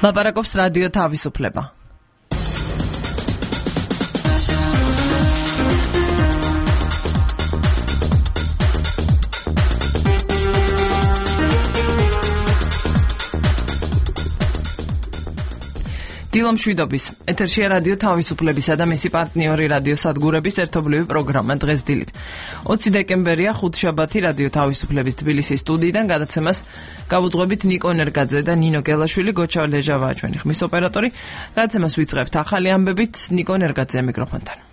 ლაპარაკობს რადიო თავისუფლება. დილომშვიდობის ეთერშია რადიო თავისუფლებისა და მისი პარტნიორი რადიო სადგურების ერთობლივი პროგრამა დღეს დილით 20 დეკემბერია ხუთშაბათი რადიო თავისუფლების თბილისის სტუდიიდან გადაცემას გავუძღვებით ნიკო ნერგაძე და ნინო გელაშვილი გოჩა ლეჟავაა ჩვენი ხმის ოპერატორი გადაცემას ვიწყებთ ახალი ამბებით ნიკო ნერგაძე მიკროფონთან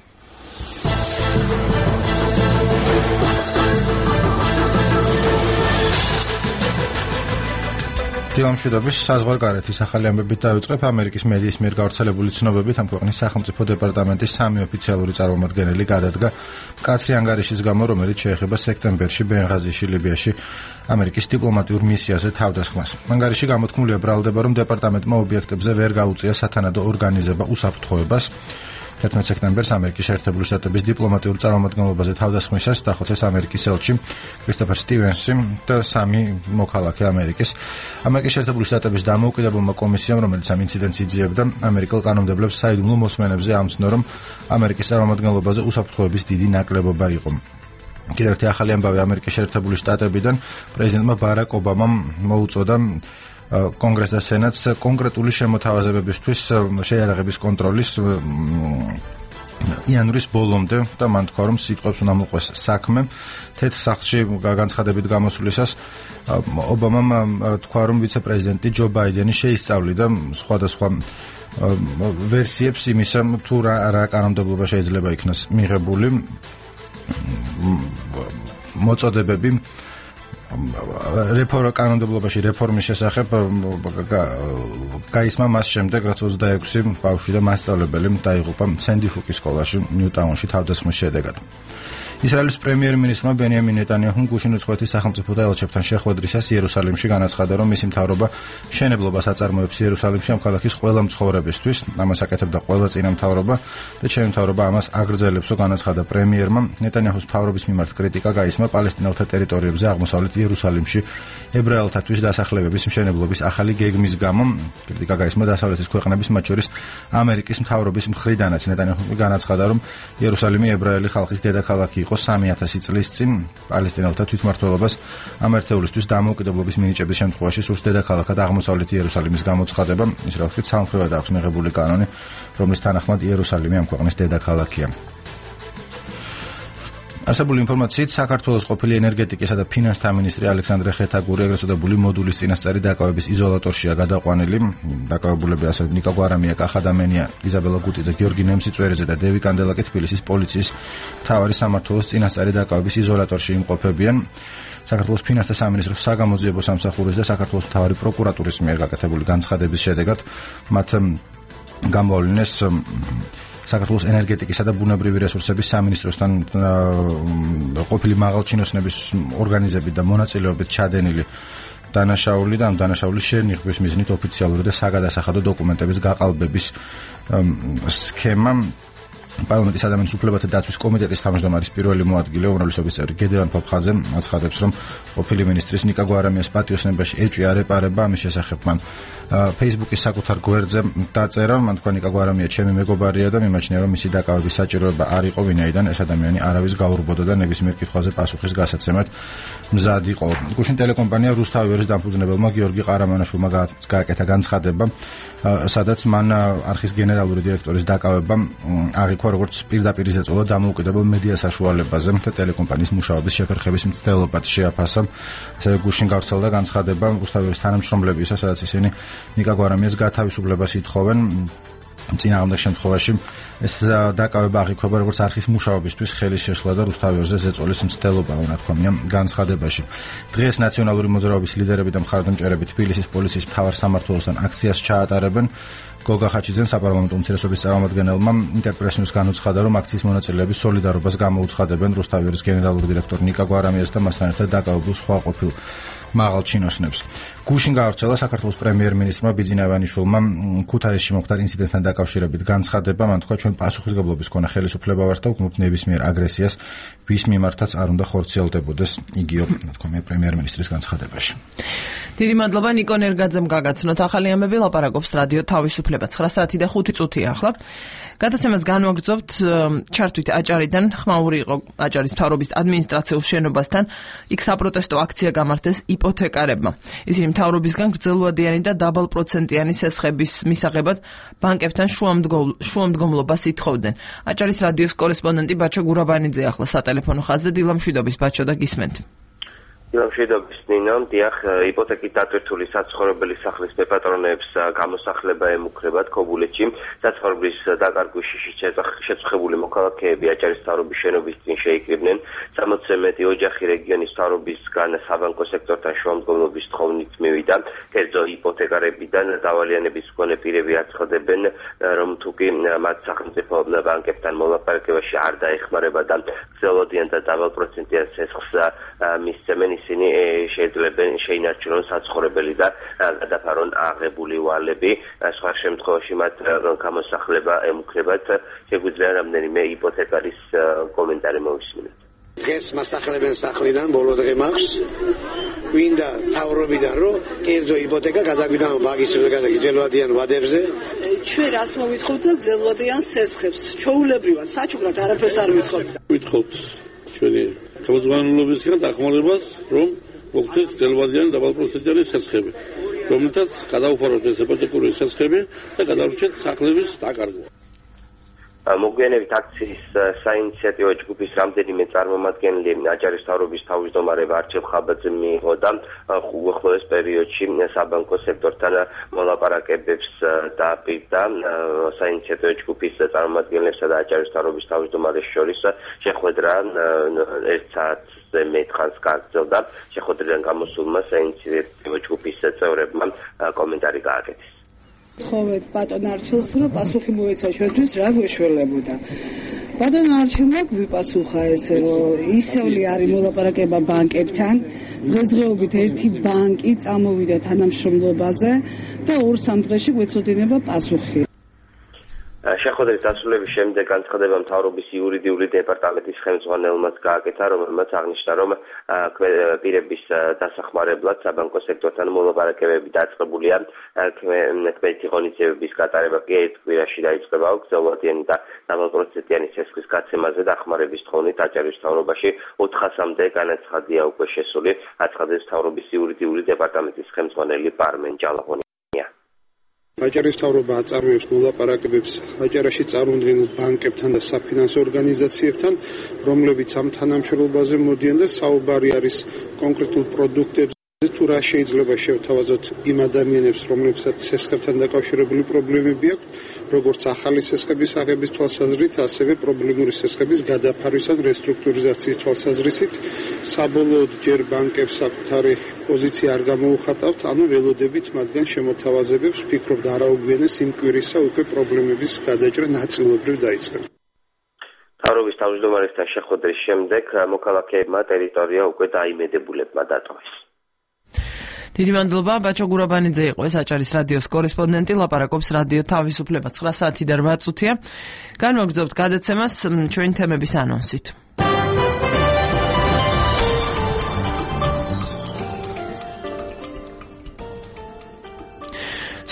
დილამშვიდობის საზღვარგარეთის ახალი ამბებით დავიწყებ ამერიკის მედიის მიერ გავრცელებული ცნობებით ამ ქვეყნის სახელმწიფო დეპარტამენტის 3 ოფიციალური წარმომადგენელი გადადგა მკაცრი ანგარიშის გამო რომელიც შეეხება სექტემბერში ბენღაზიში ლიბიაში ამერიკის დიპლომატიურ მისიაზე თავდასხმას. ანგარიში გამოთქმულია ბრალდება რომ დეპარტამენტმა ობიექტებზე ვერ გაუწია სათანადო ორგანიზება უსაფრთხოებას 11 სექტემბერს ამერიკის შეერთებული შტატების დიპლომატიურ წარმომადგენლობაზე თავდასხმისას დახოცეს ამერიკის ელჩი კრისტოფერ სტივენსი და 3 მოქალაქე ამერიკის. ამერიკის შეერთებული შტატების დამოუკიდებელმა კომისიამ, რომელიც ამ ინციდენტს იძიებდა, ამერიკელ კანონმდებლებს საიდუმლო მოსმენებზე ამცნო, რომ ამერიკის წარმომადგენლობაზე უსაფრთხოების დიდი ნაკლებობა იყო. კიდევ ერთი ახალი ამბავი ამერიკის შეერთებული შტატებიდან პრეზიდენტმა ბარაკ ობამამ მოუწოდა კონგრესს და სენატს კონკრეტული შემოთავაზებებისთვის შეიარაღების კონტროლის იანვრის ბოლომდე და მან თქვა რომ სიტყვებს უნდა მოყვეს საქმე თეთრ სახლში განცხადებით გამოსვლისას ობამამ თქვა რომ ვიცე-პრეზიდენტი ჯო ბაიდენი შეისწავლიდა სხვადასხვა ვერსიებს იმისა თუ რა კანონმდებლობა შეიძლება იქნას მიღებული მოწოდებები კანონმდებლობაში რეფორმის შესახებ გაისმა მას შემდეგ რაც 26 ბავშვი და მასწავლებელი დაიღუპა სენდი ჰუკის სკოლაში ნიუტაუნში თავდასხმის შედეგად. ისრაელის პრემიერ-მინისტრმა ბენიამინ ნეტანიაჰუმ გუშინ უცხოეთის სახელმწიფო და ელჩებთან შეხვედრისას იერუსალიმში განაცხადა რომ მისი მთავრობა მშენებლობას აწარმოებს იერუსალიმში ამ ქალაქის ყველა მცხოვრებისთვის ამას აკეთებდა ყველა წინა მთავრობა და ჩემი მთავრობა ამას აგრძელებსო განაცხადა პრემიერმა ნეტანიაჰუს მთავრობის მიმართ კრიტიკა გაისმა პალესტინელთა ტერიტორიებზე აღმოსავლეთ იერუსალიმში ებრაელთათვის დასახლებების მშენებლობის ახალი გეგმის გამო კრიტიკა გაისმა დასავლეთის ქვეყნების მათ შორის ამერიკის მთავრობის მხრიდანაც ნეტანიაჰუმი განაცხადა რომ იერუსალიმი ებრაელი ხალხის დედაქალაქი იყო 3000 წლის წინ პალესტინელთა თვითმმართველობას ამ ერთეულისთვის დამოუკიდებლობის მინიჭების შემთხვევაში სურს დედაქალაქად აღმოსავლეთ იერუსალიმის გამოცხადება ის რა ვთქვით სამხრეთად აქვს მიღებული კანონი რომლის თანახმად იერუსალიმი ამ ქვეყნის დედაქალაქია. არსებული ინფორმაციით საქართველოს ყოფილი ენერგეტიკისა და ფინანსთა მინისტრი ალექსანდრე ხეთაგური ეგრეთ წოდებული მოდულის წინასწარი დაკავების იზოლატორშია გადაყვანილი. დაკავებულები ასევე ნიკა გვარამია, კახა დამენია, იზაბელა გუტიძე, გიორგი ნემსიწვერიძე და დევი კანდელაკი თბილისის პოლიციის მთავარი სამმართველოს წინასწარი დაკავების იზოლატორში იმყოფებიან. საქართველოს ფინანსთა სამინისტროს საგამოძიებო სამსახურის და საქართველოს მთავარი პროკურატურის მიერ გაკეთებული განცხადების შედეგად მათ გამოავლინეს საქართველოს ენერგეტიკისა და ბუნებრივი რესურსების სამინისტროსთან ყოფილი მაღალჩინოსნების ორგანიზებით და მონაწილეობით ჩადენილი დანაშაული და ამ დანაშაულის შენიღბვის მიზნით ოფიციალური და საგადასახადო დოკუმენტების გაყალბების სქემა პარლამენტის ადამიანის უფლებათა დაცვის კომიტეტის თავმჯდომარის პირველი მოადგილე უმრავლესობის წევრი გედევან ფოფხაძე აცხადებს რომ ყოფილი მინისტრის ნიკა გვარამიას პატიოსნებაში ეჭვი არ ეპარება ამის შესახებ მან Facebook-ის საკუთარ გვერდზე დაწერა მან თქვა ნიკა გვარამია ჩემი მეგობარია და მიმაჩნია რომ მისი დაკავების საჭიროება არ იყო ვინაიდან ეს ადამიანი არავის გაურბოდა და ნებისმიერ კითხვაზე პასუხის გასაცემად მზად იყო. გუშინ ტელეკომპანია რუსთავიერის დამფუძნებელმა გიორგი ყარამანაშვილმა გააკეთა განცხადება სადაც მან არხის გენერალური დირექტორის დაკავება აღიქვა როგორც პირდაპირ ზეწოლა დამოუკიდებელ მედია საშუალებაზე და ტელეკომპანიის მუშაობის შეფერხების მცდელობად შეაფასა. ასევე გუშინ გავრცელდა განცხადება რუსთავიერის თანამშრომლებისა, სადაც ისინი ნიკა გვარამიას გათავისუფლებას ითხოვენ. წინააღმდეგ შემთხვევაში ეს დაკავება აღიქვება როგორც არხის მუშაობისთვის ხელის შეშლა და რუსთავიერზე ზეწოლის მცდელობა უნდა თქვა განცხადებაში. დღეს ნაციონალური მოძრაობის ლიდერები და მხარდამჭერები თბილისის პოლიციის მთავარ სამმართველოსთან აქციას ჩაატარებენ. გოგა ხაჩიძემ საპარლამენტო უმცირესობის წარმომადგენელმა ინტერპრესიუს განუცხადა, რომ აქციის მონაწილეები სოლიდარობას გამოუცხადებენ რუსთავიერის გენერალური დირექტორ ნიკა გვარამიას და მასთან ერთად დაკავებულ სხვა ყოფილ მაღალ ჩინოსნებს. გუშინ გავრცელა საქართველოს პრემიერ-მინისტრმა ბიძინა ივანიშვილმა ქუთაისში მომხდარ ინციდენტთან დაკავშირებით განცხადება, მან თქვა ჩვენ პასუხისმგებლობის მქონე ხელისუფლება ვართ და ვგმობთ ნებისმიერ აგრესიას, ვის მიმართაც არ უნდა ხორციელდებოდეს, იგივე თქვა პრემიერ-მინისტრის განცხადებაში. დიდი მადლობა ნიკო ნერგაძემ გაგაცნოთ ახალი ამბები, ლაპარაკობს რადიო თავისუფლება 9 საათი და 5 წუთია ახლა. გადაცემას განვაგრძობთ ჩართვით აჭარიდან, ხმაური იყო აჭარის მთავრობის ადმინისტრაციულ შენობასთან, იქ საპროტესტო აქცია გამართეს იპოთეკარებმა. ისინი მთავრობისგან გრძელვადიანი და დაბალპროცენტიანი სესხების მისაღებად ბანკებთან შუამდგომლობას ითხოვდნენ. აჭარის რადიოს კორესპონდენტი ბაჩო გურაბანიძე ახლა სატელეფონო ხაზზე. დილამშვიდობის ბაჩო და გისმენთ. დილამშვიდობის ნინო, დიახ, იპოთეკით დატვირთული საცხოვრებელი სახლის მეპატრონეებს გამოსახლება ემუქრებათ ქობულეთში. საცხოვრებლის დაკარგვაში შეწუხებული მოქალაქეები აჭარის მთავრობის შენობის წინ შეიკრიბნენ. 60-ზე მეტი ოჯახი რეგიონის მთავრობისგან საბანკო სექტორთან შუამდგომლობის თხოვნით მივიდა. კერძო იპოთეკარებიდან დავალიანების მქონე პირები აცხადებენ, რომ თუკი მათ სახელმწიფო ბანკებთან მოლაპარაკებაში არ დაეხმარება და გრძელვადიან და დაბალპროცენტიან სესხს მისცემენ, ისინი შეიძლება შეინარჩუნონ საცხოვრებელი და გადაფარონ აღებული ვალები. სხვა შემთხვევაში მათ გამოსახლება ემუქრებათ. შეგვიძლია რამდენიმე იპოთეკარის კომენტარი მოვისმინოთ. დღეს მასახლებენ სახლიდან, ბოლო დღე მაქვს. გვინდა მთავრობიდან რომ კერძო იპოთეკა გადაგვიდან ბაგის გრძელვადიან ვადებზე. ჩვენ რას მოვითხოვთ და გრძელვადიან სესხებს. ჩაულებრივად, საჩუქრად არაფერს არ ვითხოვთ. ვითხოვთ ჩვენი თავმჯდომარეობისგან დახმარებას, რომ მოგცეთ გრძელვადიანი დაბალპროცენტიანი სესხები, რომელთაც გადაუფაროთ ეს იპოთეკური სესხები და გადავრჩეთ სახლების დაკარგვა. მოგვიანებით აქციის საინიციატივო ჯგუფის რამდენიმე წარმომადგენელი აჭარის მთავრობის თავმჯდომარე ვარჩილ ხაბაძე მიიღო და უახლოეს პერიოდში საბანკო სექტორთან მოლაპარაკებებს დააპირდა. საინიციატივო ჯგუფის წარმომადგენლებსა და აჭარის მთავრობის თავმჯდომარეს შორის შეხვედრა 1 საათზე მეტ ხანს გაგრძელდა. შეხვედრიდან გამოსულმა საინიციატივო ჯგუფის წევრებმა კომენტარი გააკეთეს. ხოვეთ ბატონ არჩილს, რომ პასუხი მოეცა ჩვენთვის რა გვეშველებოდა. ბატონ არჩილმა გვიპასუხა ესე, რომ ისევ არის მოლაპარაკება ბანკებთან. დღესდღეობით ერთი ბანკი წამოვიდა თანამშრომლობაზე და 2-3 დღეში გვეცოდინება პასუხი. შეხვედრის დასრულების შემდეგ განცხადება მთავრობის იურიდიული დეპარტამენტის ხელმძღვანელმაც გააკეთა, რომელმაც აღნიშნა, რომ პირების დასახმარებლად საბანკო სექტორთან მოლაპარაკებები დაწყებულია. ქმედი ღონისძიებების გატარება კი ერთ კვირაში დაიწყება. გრძელვადიანი და დაბალპროცენტიანი სესხის გაცემაზე დახმარების თხოვნით აჭარის მთავრობაში 400-მდე განაცხადია უკვე შესული. აცხადებს მთავრობის იურიდიული დეპარტამენტის ხელმძღვანელი პარმენ ჯალაღონი. აჭარის მთავრობა აწარმოებს მოლაპარაკებებს აჭარაში წარმოდგენილ ბანკებთან და საფინანსო ორგანიზაციებთან, რომლებიც ამ თანამშრომლობაზე მოდიან და საუბარი არის კონკრეტულ პროდუქტებზე, თუ რა შეიძლება შევთავაზოთ იმ ადამიანებს, რომლებსაც სესხებთან დაკავშირებული პრობლემები აქვს, როგორც ახალი სესხების აღების თვალსაზრისით, ასევე პრობლემური სესხების გადაფარვის ან რესტრუქტურიზაციის თვალსაზრისით. საბოლოოდ ჯერ ბანკებს საკუთარი პოზიცია არ გამოუხატავთ, ანუ ველოდებით მათგან შემოთავაზებებს, ვფიქრობ არაუგვიანეს იმ კვირისა უკვე პრობლემების გადაჭრა ნაწილობრივ დაიწყება. მთავრობის თავმჯდომარესთან შეხვედრის შემდეგ მოქალაქეებმა ტერიტორია უკვე დაიმედებულებმა დატოვეს. დიდი მადლობა, ბაჩო გურაბანიძე იყო ეს აჭარის რადიოს კორესპონდენტი, ლაპარაკობს რადიო თავისუფლება 9 საათი და 8 წუთია. განვაგრძობთ გადაცემას ჩვენი თემების ანონსით.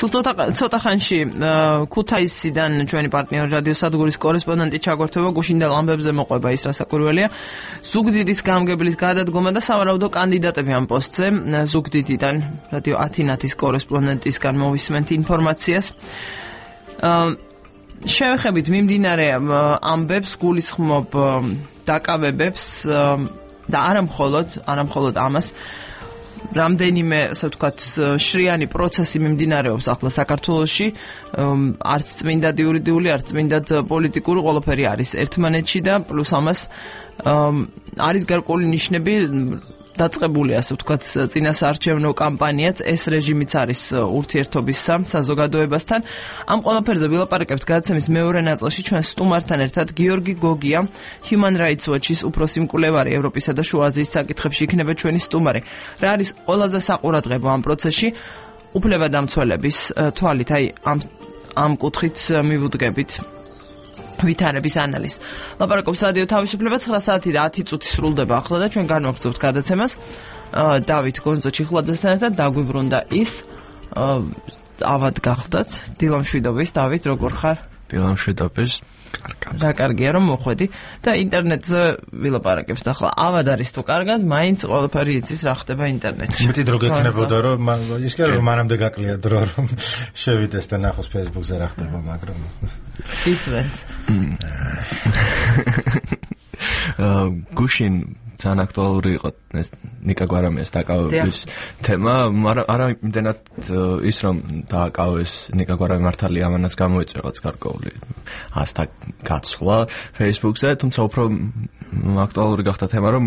სულ ცოტა ხანში ქუთაისიდან ჩვენი პარტნიორი რადიო სადგურის კორესპონდენტი ჩაგვერთვება, გუშინდელ ამბებზე მოყვება ის, რა საკვირველია. ზუგდიდის გამგებლის გადადგომა და სავარაუდო კანდიდატები ამ პოსტზე. ზუგდიდიდან რადიო ათინათის კორესპონდენტისგან მოვისმენთ ინფორმაციას. შევეხებით მიმდინარე ამბებს, გულისხმობ დაკავებებს და არა მხოლოდ ამას. რამდენიმე, ასე ვთქვათ, შრიანი პროცესი მიმდინარეობს ახლა საქართველოში, არც წმინდად იურიდიული, არც წმინდად პოლიტიკური, ყველაფერი არის ერთმანეთში და პლუს ამას არის გარკვეული ნიშნები, დაწყებული, ასე ვთქვათ, წინასაარჩევნო კამპანიაც, ეს რეჟიმიც არის ურთიერთობის საზოგადოებასთან. ამ ყველაფერზე ვილაპარაკებთ გადაცემის მეორე ნაწილში ჩვენ სტუმართან ერთად. გიორგი გოგია, Human Rights Watch-ის უფროსი მკვლევარი ევროპისა და შუა აზიის საკითხებში იქნება ჩვენი სტუმარი. რა არის ყველაზე საყურადღებო ამ პროცესში? უფლებადამცველების თვალით, აი ამ კუთხით მივუდგებით ვითარების ანალიზს. ლაპარაკობს რადიო თავისუფლება 9 საათი და 10 წუთი სრულდება ახლა და ჩვენ განვაგრძობთ გადაცემას. დავით გონძო ჩიხლაძესთან ერთად დაგვიბრუნდა ის ავად გახდათ დილამშვიდობის. დავით, როგორ ხარ? დილამშვიდობის. რა კარგია რომ მოხვედი და ინტერნეტზე ვილაპარაკებთ ახლა. ავად არის თუ კარგად, მაინც ყველაფერი იცის რა ხდება ინტერნეტში. მეტი დრო გექნებოდა რომ ის კი რომ მანამდე გაკლია დრო რომ შევიდეს და ნახოს Facebook-ზე რა ხდება, მაგრამ ისვენ. გუშინ ძალიან აქტუალური იყო ეს ნიკა გვარამიას დაკავების თემა, მაგრამ არა იმდენად ის რომ დააკავეს ნიკა გვარამი მართალია ამანაც გამოიწვია რაღაც გარკვეული ასთა გაცვლა Facebook-ზე, თუმცა უფრო აქტუალური გახდა თემა რომ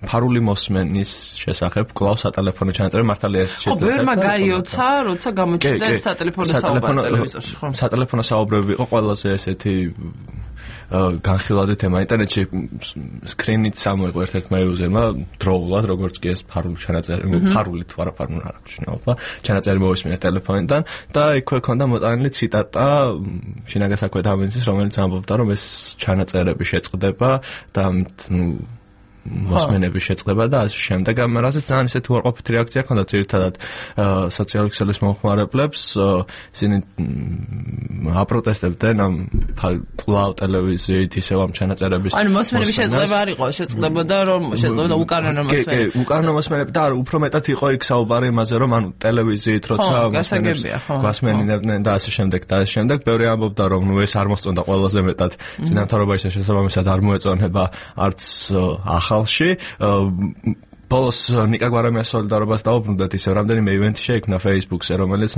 ფარული მოსმენის შესახებ კვლავ სატელეფონო ჩანაწერი მართალია ეს შეიძლება. ხო, ვერმა გაიოცა, როცა გამოჩნდა ეს სატელეფონო საუბარი ტელევიზორში, ხო? სატელეფონო საუბრები იყო ყველაზე ესეთი განხილვადი თემა ინტერნეტში სკრინით სამოიღო ერთ-ერთმა იუზერმა დროულად როგორც კი ეს ფარული ჩანაწერი ფარულით ვარაფარული არ აქვს შინაობა ჩანაწერი მოვისმინა ტელეფონიდან და იქვე ქონდა მოტანილი ციტატა შინაგან საქმეთა მინისტრის რომელიც ამბობდა რომ ეს ჩანაწერები შეწყდება და მოსმენების შეწყება და ასე შემდეგ. ამ რასაც ძალიან ისეთი უარყოფითი რეაქცია ჰქონდა ძირითადად სოციალური ქსელის მომხმარებლებს. ისინი აპროტესტებდნენ ამ კვლავ ტელევიზიით ისევ ამ ჩანაწერების. ანუ მოსმენების შეწყება არ იყო, შეწყდებოდა რომ შეწყდებოდა უკანონო მოსმენები. კი, უკანონო მოსმენები და უფრო მეტად იყო იქ საუბარი იმაზე რომ ანუ ტელევიზიით როცა მოსმენებს გვასმენინებდნენ და ასე შემდეგ და ასე შემდეგ. ბევრი ამბობდა რომ ნუ ეს არ მოსწონდა ყველაზე მეტად წინამთავრობა ისე შესაბამისად არ მოეწონება არც ახალში ბოლოს ნიკა გვარამიას სოლიდარობას დაუბრუნდათ ისე რამდენიმე ივენთი შეიქმნა Facebook-ზე რომელიც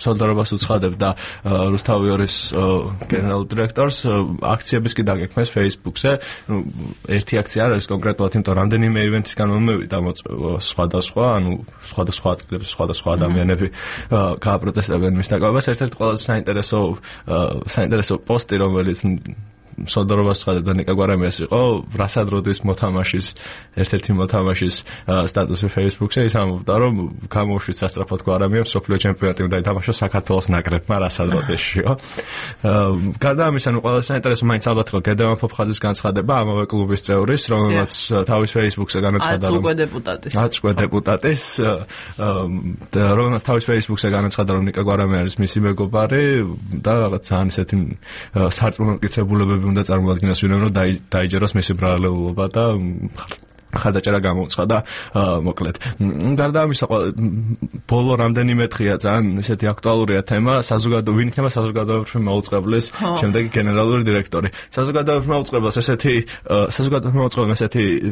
სოლიდარობას უცხადებდა რუსთავიორის გენერალურ დირექტორს აქციების კი დაგექმნეს Facebook-ზე ერთი აქცია არ არის კონკრეტულად იმიტომ რამდენიმე ივენთისგან მომევიდა სხვადასხვა ანუ სხვადასხვა ადგილებში სხვადასხვა ადამიანები გააპროტესტებდნენ მის დაკავებას ერთ-ერთი ყველაზე საინტერესო პოსტი რომელიც სოლიდარობას ცხადებდა ნიკა გვარამიას იყო რასად როდის მოთამაშის ერთ-ერთი მოთამაშის სტატუსი Facebook-ზე ის ამბობდა რომ გამოუშვით სასწრაფოდ გვარამიამ სოფლიო ჩემპიონატი უნდა ითამაშოს საქართველოს ნაკრებმა რასად როდესშიო გარდა ამისა ნუ ყველაზე საინტერესო მაინც ალბათ იყო გედევან ფოფხაძის განცხადება ამავე კლუბის წევრის რომელმაც თავის Facebook-ზე განაცხადა რომ აწყვე დეპუტატის და რომელმაც თავის Facebook-ზე განაცხადა რომ ნიკა გვარამი არის მისი მეგობარი და რაღაც ძალიან ისეთი სარწმუნო მტკიცებულებები უნდა წარმოადგინოს ვინმე რომ დაიჯეროს მისი ბრალეულობა და ხარდაჭერა გამოუცხადა მოკლედ. გარდა ამისა ბოლო რამდენიმე დღეა ძალიან ისეთი აქტუალურია თემა ვინ იქნება საზოგადოებრივი მაუწყებლის შემდეგი გენერალური დირექტორი. საზოგადოებრივ მაუწყებელს ესეთი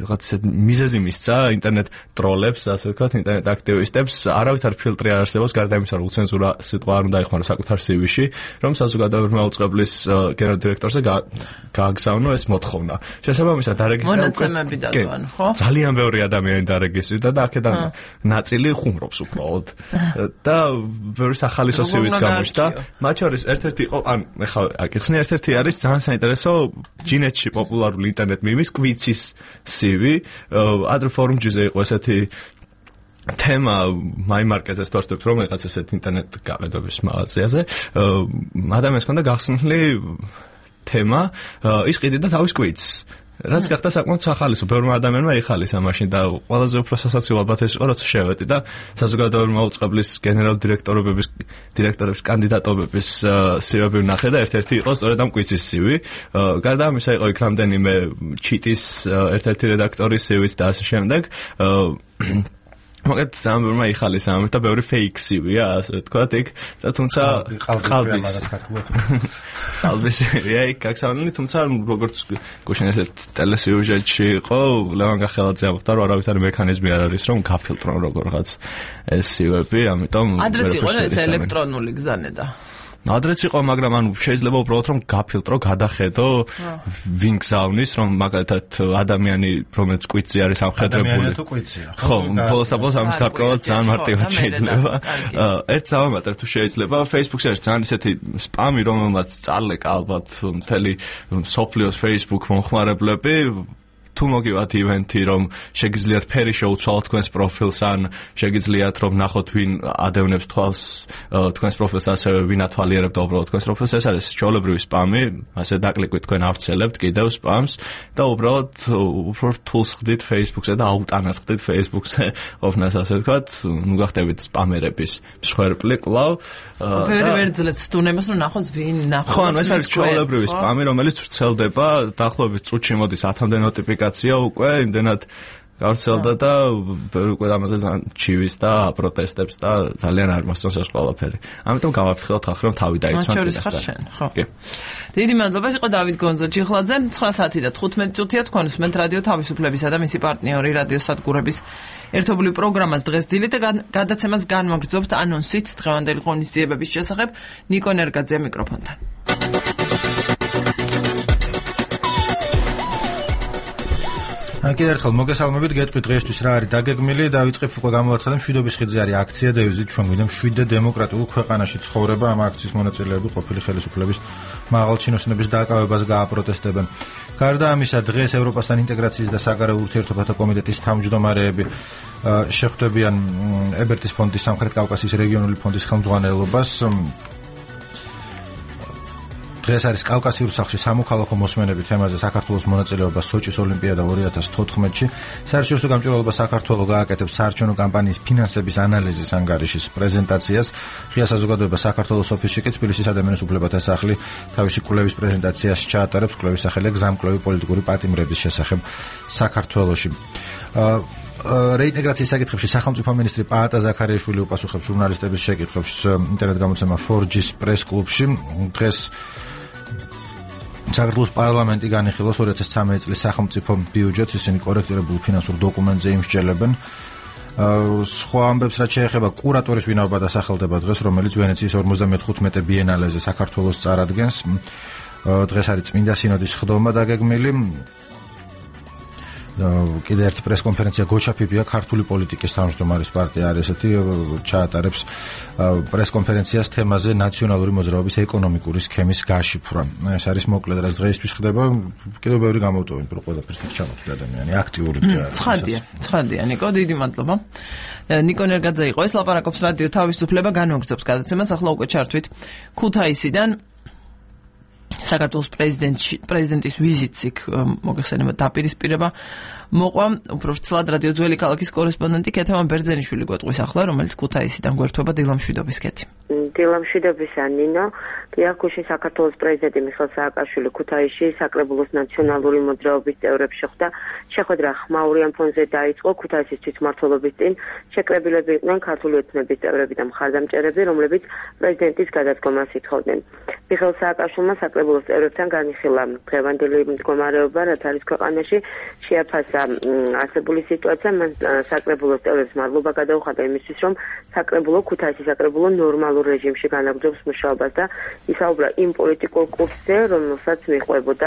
რაღაც ისეთი მიზეზი მისცა ინტერნეტ ტროლებს, ასე ვთქვათ, ინტერნეტ აქტივისტებს, არავითარ ფილტრი არ არსებობს გარდა იმისა რომ უცენზურა სიტყვა არ უნდა იხმაროს საკუთარ CV-ში, რომ საზოგადოებრივ მაუწყებლის გენერალურ დირექტორზე გააგზავნო ეს მოთხოვნა. შესაბამისად მონაცემები დადვან, ხო? ძალიან ბევრი ადამიანი დარეგისტრირდა და აქედან ნაწილი ხუმრობს უბრალოდ და ბევრი სახალისო CV-ც გამოჩნდა. მათ შორის ერთ-ერთი იყო ან ეხლა აკიხსნი ერთ-ერთი არის ძალიან საინტერესო ჯინეთში პოპულარული ინტერნეტ მემის კვიცის CV ადრე ფორუმ-ჯიზე იყო ესეთი თემა მაიმარკეტზე ვთქვათ რომ რაღაც ესეთ ინტერნეტ გაყიდვების მაღაზიაზე ადამიანს ჰქონდა გახსნილი თემა ის ყიდიდა თავის კვიცს რაც გახდა საკმაოდ სახალისო, ბევრმა ადამიანმა იხალისა მაშინ და ყველაზე უფრო სასაცილო ალბათ ეს იყო, როცა შევედი და საზოგადოებრივი მაუწყებლის გენერალურ დირექტორების კანდიდატობების CV-ები ვნახე და ერთ-ერთი იყო სწორედ ამ კვიცის CV. გარდა ამისა იყო იქ რამდენიმე ჩიტის ერთ-ერთი რედაქტორის CV-ც და ასე შემდეგ. მაგათ ძალიან ბევრმა იხალისა ამით და ბევრი fake CV-ია, ასე ვთქვათ, იქ და თუმცა ყალბის იქ გაგზავნილი, თუმცა როგორც გუშინ ესეთ ტელესიუჟეტში იყო, ლევან გახელაძე ამბობდა, რომ არავითარი მექანიზმი არ არის, რომ გაფილტრონ როგორღაც ეს CV-ები, ამიტომ ადრეც იყო ეს ელექტრონული გზანედა. ადრეც იყო, მაგრამ ანუ შეიძლება უბრალოდ რომ გაფილტრო, გადახედო, ვინ გზავნის, რომ მაგალითად ადამიანი, რომელიც კვიცი არის ამხედრებული. ადამიანია თუ კვიცია. ხო, ბოლოს ამის გარკვევად ძალიან მარტივად შეიძლება. ერთ დავამატებ თუ შეიძლება, Facebook-ზე არის ძალიან ისეთი სპამი, რომელმაც წალეკა ალბათ მთელი სოფლიოს Facebook მომხმარებლები თუ მოგივათ ივენთი, რომ შეგიძლიათ ფერი შეუცვალოთ თქვენს პროფილს, ან შეგიძლიათ რომ ნახოთ ვინ ადევნებს თვალს თქვენს პროფილს, ასევე ვინ ათვალიერებდა უბრალოდ თქვენს პროფილს, ეს არის ჩვეულებრივი სპამი, ასე დაკლიკვით თქვენ ავრცელებთ კიდევ სპამს და უბრალოდ უფრო რთულს ხდით Facebook-ზე და აუტანას ხდით Facebook-ზე ყოფნას, ასე ვთქვათ, ნუ გახდებით სპამერების მსხვერპლი კვლავ. ბევრი ვერ ძლევს სტუნებას რომ ნახოს ვინ ნახოს. ხო, ანუ ეს არის ჩვეულებრივი სპამი, რომელიც ვრცელდება, დაახლოებით წუთში მოდის 1000-მდე ნოტიფიკაცია უკვე იმდენად გავრცელდა და უკვე ამაზე ძალიან ჩივის და პროტესტებს და ძალიან არ მოსწონს ეს ყველაფერი. ამიტომ გავაფრთხილოთ ხალხს რომ თავი დაიცვან წინასწარ. ხო. დიდი მადლობა, ეს იყო დავით გონზო ჩიხლაძე. 9 საათი და 15 წუთია თქვენ უსმენთ რადიო თავისუფლებისა და მისი პარტნიორი რადიო სადგურების ერთობლივ პროგრამას დღეს დილით და გადაცემას განვაგრძობთ ანონსით დღევანდელი ღონისძიებების შესახებ. ნიკო ნერგაძე მიკროფონთან. კიდევ ერთხელ მოგესალმებით, გეტყვით დღეისთვის რა არის დაგეგმილი, დავიწყებ უკვე გამოვაცხადე მშვიდობის ხიდზე არის აქცია და ვიზით ჩვენ გვინდა მშვიდე დემოკრატიულ ქვეყანაში ცხოვრება. ამ აქციის მონაწილეები ყოფილი ხელისუფლების მაღალჩინოსნების დაკავებას გააპროტესტებენ. გარდა ამისა, დღეს ევროპასთან ინტეგრაციის და საგარეო ურთიერთობათა კომიტეტის თავმჯდომარეები შეხვდებიან ებერტის ფონდის სამხრეთ კავკასიის რეგიონული ფონდის ხელმძღვანელობას. დღეს არის კავკასიურ სახლში სამოქალაქო მოსმენები თემაზე საქართველოს მონაწილეობა სოჭის ოლიმპიადა 2014-ში. საერთაშორისო გამჭვირვალობა საქართველოს გააკეთებს საარჩევნო კამპანიის ფინანსების ანალიზის ანგარიშის პრეზენტაციას. ღია საზოგადოება საქართველოს ოფისში კი თბილისის ადამიანის უფლებათა სახლი თავისი კვლევის პრეზენტაციას ჩაატარებს. კვლევის სახელია გზამკვლევი პოლიტიკური პატიმრების შესახებ საქართველოში. რეინტეგრაციის საკითხებში სახელმწიფო მინისტრი პაატა ზაქარიაშვილი უპასუხებს ჟურნალისტების შეკითხვებს ინტერნეტ გამოცემა 4G-ს პრეს-კლუბში. დღეს საქართველოს პარლამენტი განიხილავს 2013 წლის სახელმწიფო ბიუჯეტს, ისინი კორექტირებულ ფინანსურ დოკუმენტზე იმსჯელებენ. სხვა ამბებს რაც შეეხება კურატორის ვინაობა დასახელდება დღეს, რომელიც ვენეციის 55 ბიენალეზე საქართველოს წარადგენს. დღეს არის წმინდა სინოდის ხდომა დაგეგმილი. კიდევ ერთი პრესკონფერენცია გოჩაფიბია ქართული პოლიტიკის თავმჯდომარის პარტია არის ესეთი ჩაატარებს პრესკონფერენციას თემაზე ნაციონალური მოძრაობის ეკონომიკური სქემის გაშიფრვა. ეს არის მოკლედ რაც დღეისთვის ხდება. კიდევ ბევრი გამოვტოვებთ რომ ყველაფერს ჩამოთვლი ადამიანი აქტიური ცხადია. ცხადია ნიკო, დიდი მადლობა. ნიკო ნერგაძე იყო ეს, ლაპარაკობს რადიო თავისუფლება, განვაგრძობს გადაცემას. ახლა უკვე ჩართვით ქუთაისიდან საქართველოს პრეზიდენტის ვიზიტს იქ მოგეხსენება დაპირისპირება მოყვა. უფრო ვრცლად რადიო ძველი ქალაქის კორესპონდენტი ქეთევან ბერძენიშვილი გვეტყვის ახლა, რომელიც ქუთაისიდან გვერდება. დილამშვიდობის ქეთი. დილამშვიდობისა ნინო. დიახუში საქართველოს პრეზიდენტი მიხეილ სააკაშვილი ქუთაისში საკრებულოს ნაციონალური მოძრაობის წევრებს შეხვდა. შეხვედრა ხმაურიან ფონზე დაიწყო. ქუთაისის თვითმმართველობის წინ შეკრებილები იყვნენ ქართული ეთნების წევრები და მხარდამჭერები, რომლებიც პრეზიდენტის გადადგომას ითხოვდნენ. მიხეილ სააკაშვილმა საკრებულოს წევრებთან განიხილა დღევანდელი მდგომარეობა, რაც არის ქვეყანაში, შეაფასა არსებული სიტუაცია. მან საკრებულოს წევრებს მადლობა გადაუხადა იმისთვის, რომ საკრებულო ქუთაისის საკრებულო ნორმალურ რეჟიმში განაგრძობს მუშაობას და ისაუბრა იმ პოლიტიკურ კურსზე, რომელსაც მიყვებოდა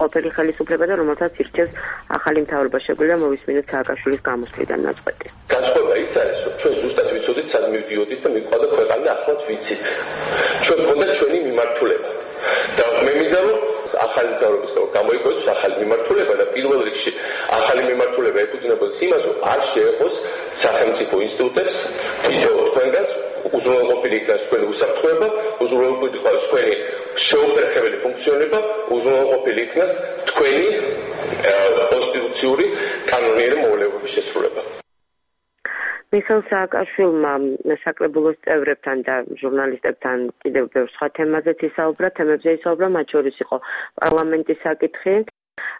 ყოფილი ხელისუფლება და რომელსაც ირჩევს ახალი მთავრობა. შეგვიძლია მოვისმინოთ სააკაშვილის გამოსვლიდან ნაწყვეტი. განსხვავება ის არის, რომ ჩვენ ზუსტად ვიცოდით, სად მივდიოდით და მიყვარდა ქვეყანა, ახლაც ვიცით. ჩვენ გვქონდა ჩვენი მიმართულება. და მე მინდა რომ ახალი მთავრობის გამოიგოს ახალი მიმართულება და პირველ რიგში ახალი მიმართულება ეფუძნებოდეს იმას, რომ არ შეეყოს სახელმწიფო ინსტიტუტებს თითო თქვენგანს უზრუნველყოფილი იქნას თქვენი უსაფრთხოება, უზრუნველყოფილი იქნას თქვენი შეუფერხებელი ფუნქციონირება, უზრუნველყოფილი იქნას თქვენი კონსტიტუციური კანონიერი მოვალეობების შესრულება. მიხეილ სააკაშვილმა საკრებულოს წევრებთან და ჟურნალისტებთან კიდევ ბევრ სხვა თემაზეც ისაუბრა, თემებზე ისაუბრა, მათ შორის იყო პარლამენტის საკითხი.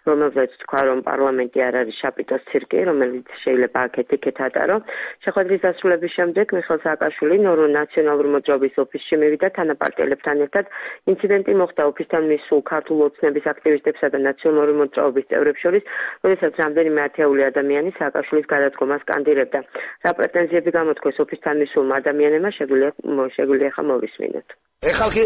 რომელზეც თქვა, რომ პარლამენტი არ არის შაპიტოს ცირკი, რომელიც შეიძლება აქეთ-იქით ატარო. შეხვედრის დასრულების შემდეგ მიხეილ სააკაშვილი ნაციონალური მოძრაობის ოფისში მივიდა თანაპარტიელებთან ერთად. ინციდენტი მოხდა ოფისთან მისულ ქართულ ოცნების აქტივისტებსა და ნაციონალური მოძრაობის წევრებს შორის, როდესაც რამდენიმე ათეული ადამიანი სააკაშვილის გადადგომას სკანდირებდა. რა პრეტენზიები გამოთქვეს ოფისთან მისულმა ადამიანებმა, შეგვიძლია ახლა მოვისმინოთ. ხალხი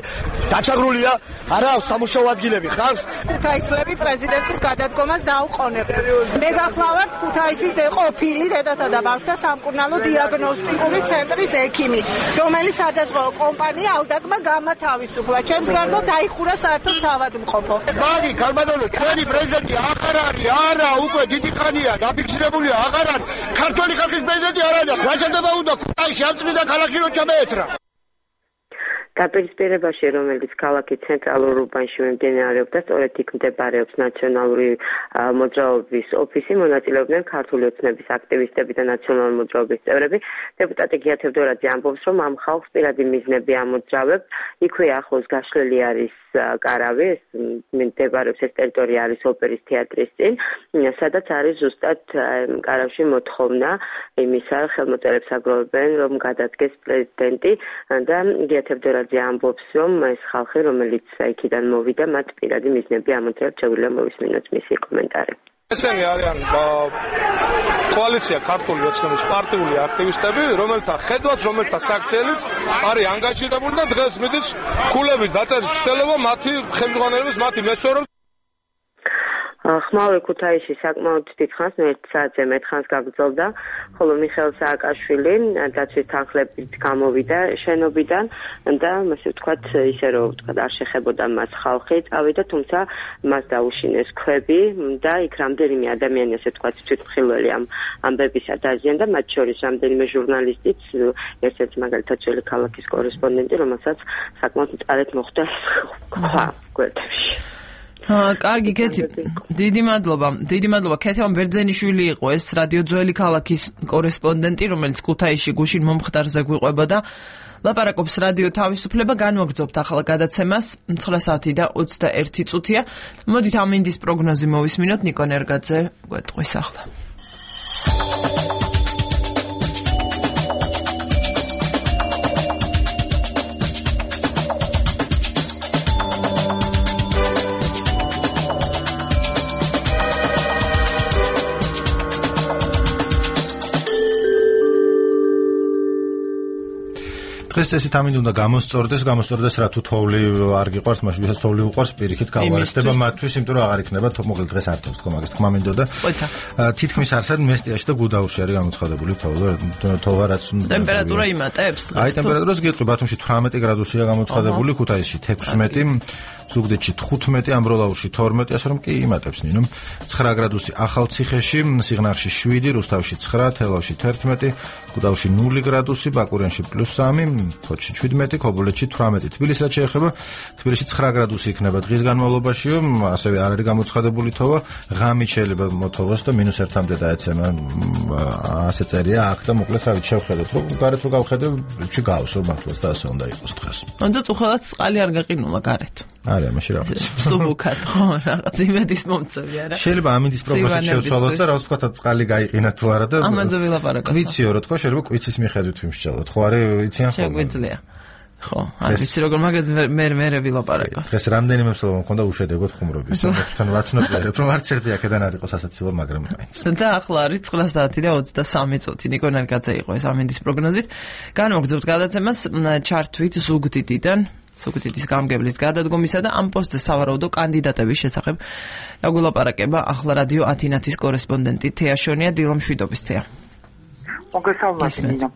დაჩაგრულია, არა სამუშაო ადგილები ხარს. ქუთაისლები პრეზიდენტის გადადგომას დაუყოვნებენ. მე გახლავართ ქუთაისის ყოფილი დედათა და ბავშვთა სამკურნალო დიაგნოსტიკური ცენტრის ექიმი, რომელიც სადაზღვეო კომპანია ავდაკმა გამათავისუფლა. ჩემს გარდა დაიხურა საერთო საავადმყოფო. მაგი გალბადონო, ჩვენი პრეზიდენტი აღარ არის, არა, უკვე დიდი ხანია დაფიქსირებულია, აღარ არის. ქართული ხალხის პრეზიდენტი არ არის. რა შეიძლება უნდა ქუთაისში ამწმიდა ქალაქი რო ჩამეეთრა. დაპირისპირებაში, რომელიც ქალაქის ცენტრალურ უბანში მიმდინარეობდა, სწორედ იქ მდებარეობს ნაციონალური მოძრაობის ოფისი, მონაწილეობდნენ ქართული ოცნების აქტივისტები და ნაციონალური მოძრაობის წევრები. დეპუტატი გია თევდორაძე ამბობს, რომ ამ ხალხს პირადი მიზნები ამოძრავებს. იქვე ახლოს გაშლილი არის კარავი, მდებარეობს ეს ტერიტორია არის ოპერის თეატრის წინ, სადაც არის ზუსტად კარავში მოთხოვნა იმისა, ხელმოწერებს აგროვებენ, რომ გადადგეს პრეზიდენტი და გია თევდორაძე ამბობს, რომ ეს ხალხი, რომელიც იქიდან მოვიდა, მათ პირადი მიზნები ამოძრავებს. შეგვიძლია მოვისმინოთ მისი კომენტარი. ესენი არიან კოალიცია ქართული ოცნების პარტიული აქტივისტები, რომელთა ხედვაც, რომელთა საქციელიც არის ანგაჟირებული და დღეს მიდის ქულების დაწერის მცდელობა მათი ხელმძღვანელობის, მათი მეცნიერების. ხმალე ქუთაისში საკმაოდ დიდხანს, 1 საათზე მეტ ხანს გაგრძელდა, ხოლო მიხეილ სააკაშვილი დაცვის თანხლებით გამოვიდა შენობიდან და ასე ვთქვათ, ისე რომ ვთქვათ, არ შეხებოდა მას ხალხი, წავიდა, თუმცა მას დაუშინეს ქვები და იქ რამდენიმე ადამიანი, ასე ვთქვათ, თვითმხილველი ამ ამბებისა დაზიანდა, მათ შორის რამდენიმე ჟურნალისტიც, ერთ-ერთი მაგალითად ძველი ქალაქის კორესპონდენტი, რომელსაც საკმაოდ მწარედ მოხვდა ქვა გვერდებში. კარგი, კეთი, დიდი მადლობა. ქეთევან ბერძენიშვილი იყო ეს რადიო ძველი ქალაქის კორესპონდენტი, რომელიც ქუთაისში გუშინ მომხდარზე გვიყვებოდა. ლაპარაკობს რადიო თავისუფლება, განვაგრძობთ ახლა გადაცემას 9 საათი და 21 წუთია. მოდით ამინდის პროგნოზი მოვისმინოთ, ნიკო ნერგაძე გვეტყვის ახლა. დღეს ესეთ ამინდი უნდა გამოსწორდეს რა თუ თოვლი არ გიყვარს, მაშინ ვისაც თოვლი უყვარს, პირიქით გავარესდება მათთვის, იმიტომ რომ აღარ იქნება მოკლედ დღეს არ თავს თქო მაგას თქმა მინდოდა. თითქმის არსად მესტიაში და გუდაურში არის გამოცხადებული თოვა რაც ტემპერატურა იმატებს დღეს. აი ტემპერატურას გეტყვი, ბათუმში 18 გრადუსია გამოცხადებული, ქუთაისში 16, ზუგდიდში 15, ამბროლაურში 12, ასე რომ კი იმატებს ნინო. 9 გრადუსი ახალციხეში, სიღნაღში 7, რუსთავში 9, თელავში 11, გუდაურში 0 გრადუსი, ბაკურიანში +3, ფოთში 17, ქობულეთში 18. თბილისს რაც შეეხება, თბილისში 9 გრადუსი იქნება დღის განმავლობაში, ასევე არ არის გამოცხადებული თოვა, ღამით შეიძლება მოთოვოს და -1-მდე დაეცემა. ასე წერია აქ და მოკლედ რა ვიცი შევხედოთ, რომ გარეთ რო გავხედე, ში გავსო მართლაც და ასე უნდა იყოს დღეს. უნდა უხალოდ წყალი არ გაყინულა გარეთ. არა, მაშინ რა ვიცი. სუბუქად ხო, რაღაც იმედის მომწევი არა. შეიძლება ამინდის პროგნოზით შევცვალოთ და რა ვთქვათ, წყალი გაიყინა თუ არა და ამაზე ვილაპარაკოთ. ვიციო რა თქო, შეიძლება კვიცის მიხედვით ვიმსჯელოთ. ხო არის იციან ხოლმე. შეგვიძლია. ხო, არ ვიცი როგორ მაგას მე ვილაპარაკო. დღეს რამდენიმე მსვლელობა მქონდა უშედეგოდ ხუმრობის. თან ვაცნობიერებ, რომ არც ერთი აქედან არ იყოს ასაცილო, მაგრამ მაინც. და ახლა არის 9 საათი და 23 წუთი. ნიკო ნერგაძე იყო ეს ამინდის პროგნოზით. განვაგრძობთ გადაცემას ჩართვით ზუგდიდიდან. სუქეთის გამგებლის გადადგომისა და ამ პოსტზე სავარაუდო კანდიდატების შესახებ დაგულაპარაკება ახლა რადიო ათინათის კორესპონდენტი თეა შონია. დილამშვიდობის თეა. მოგესალმებით ნინო.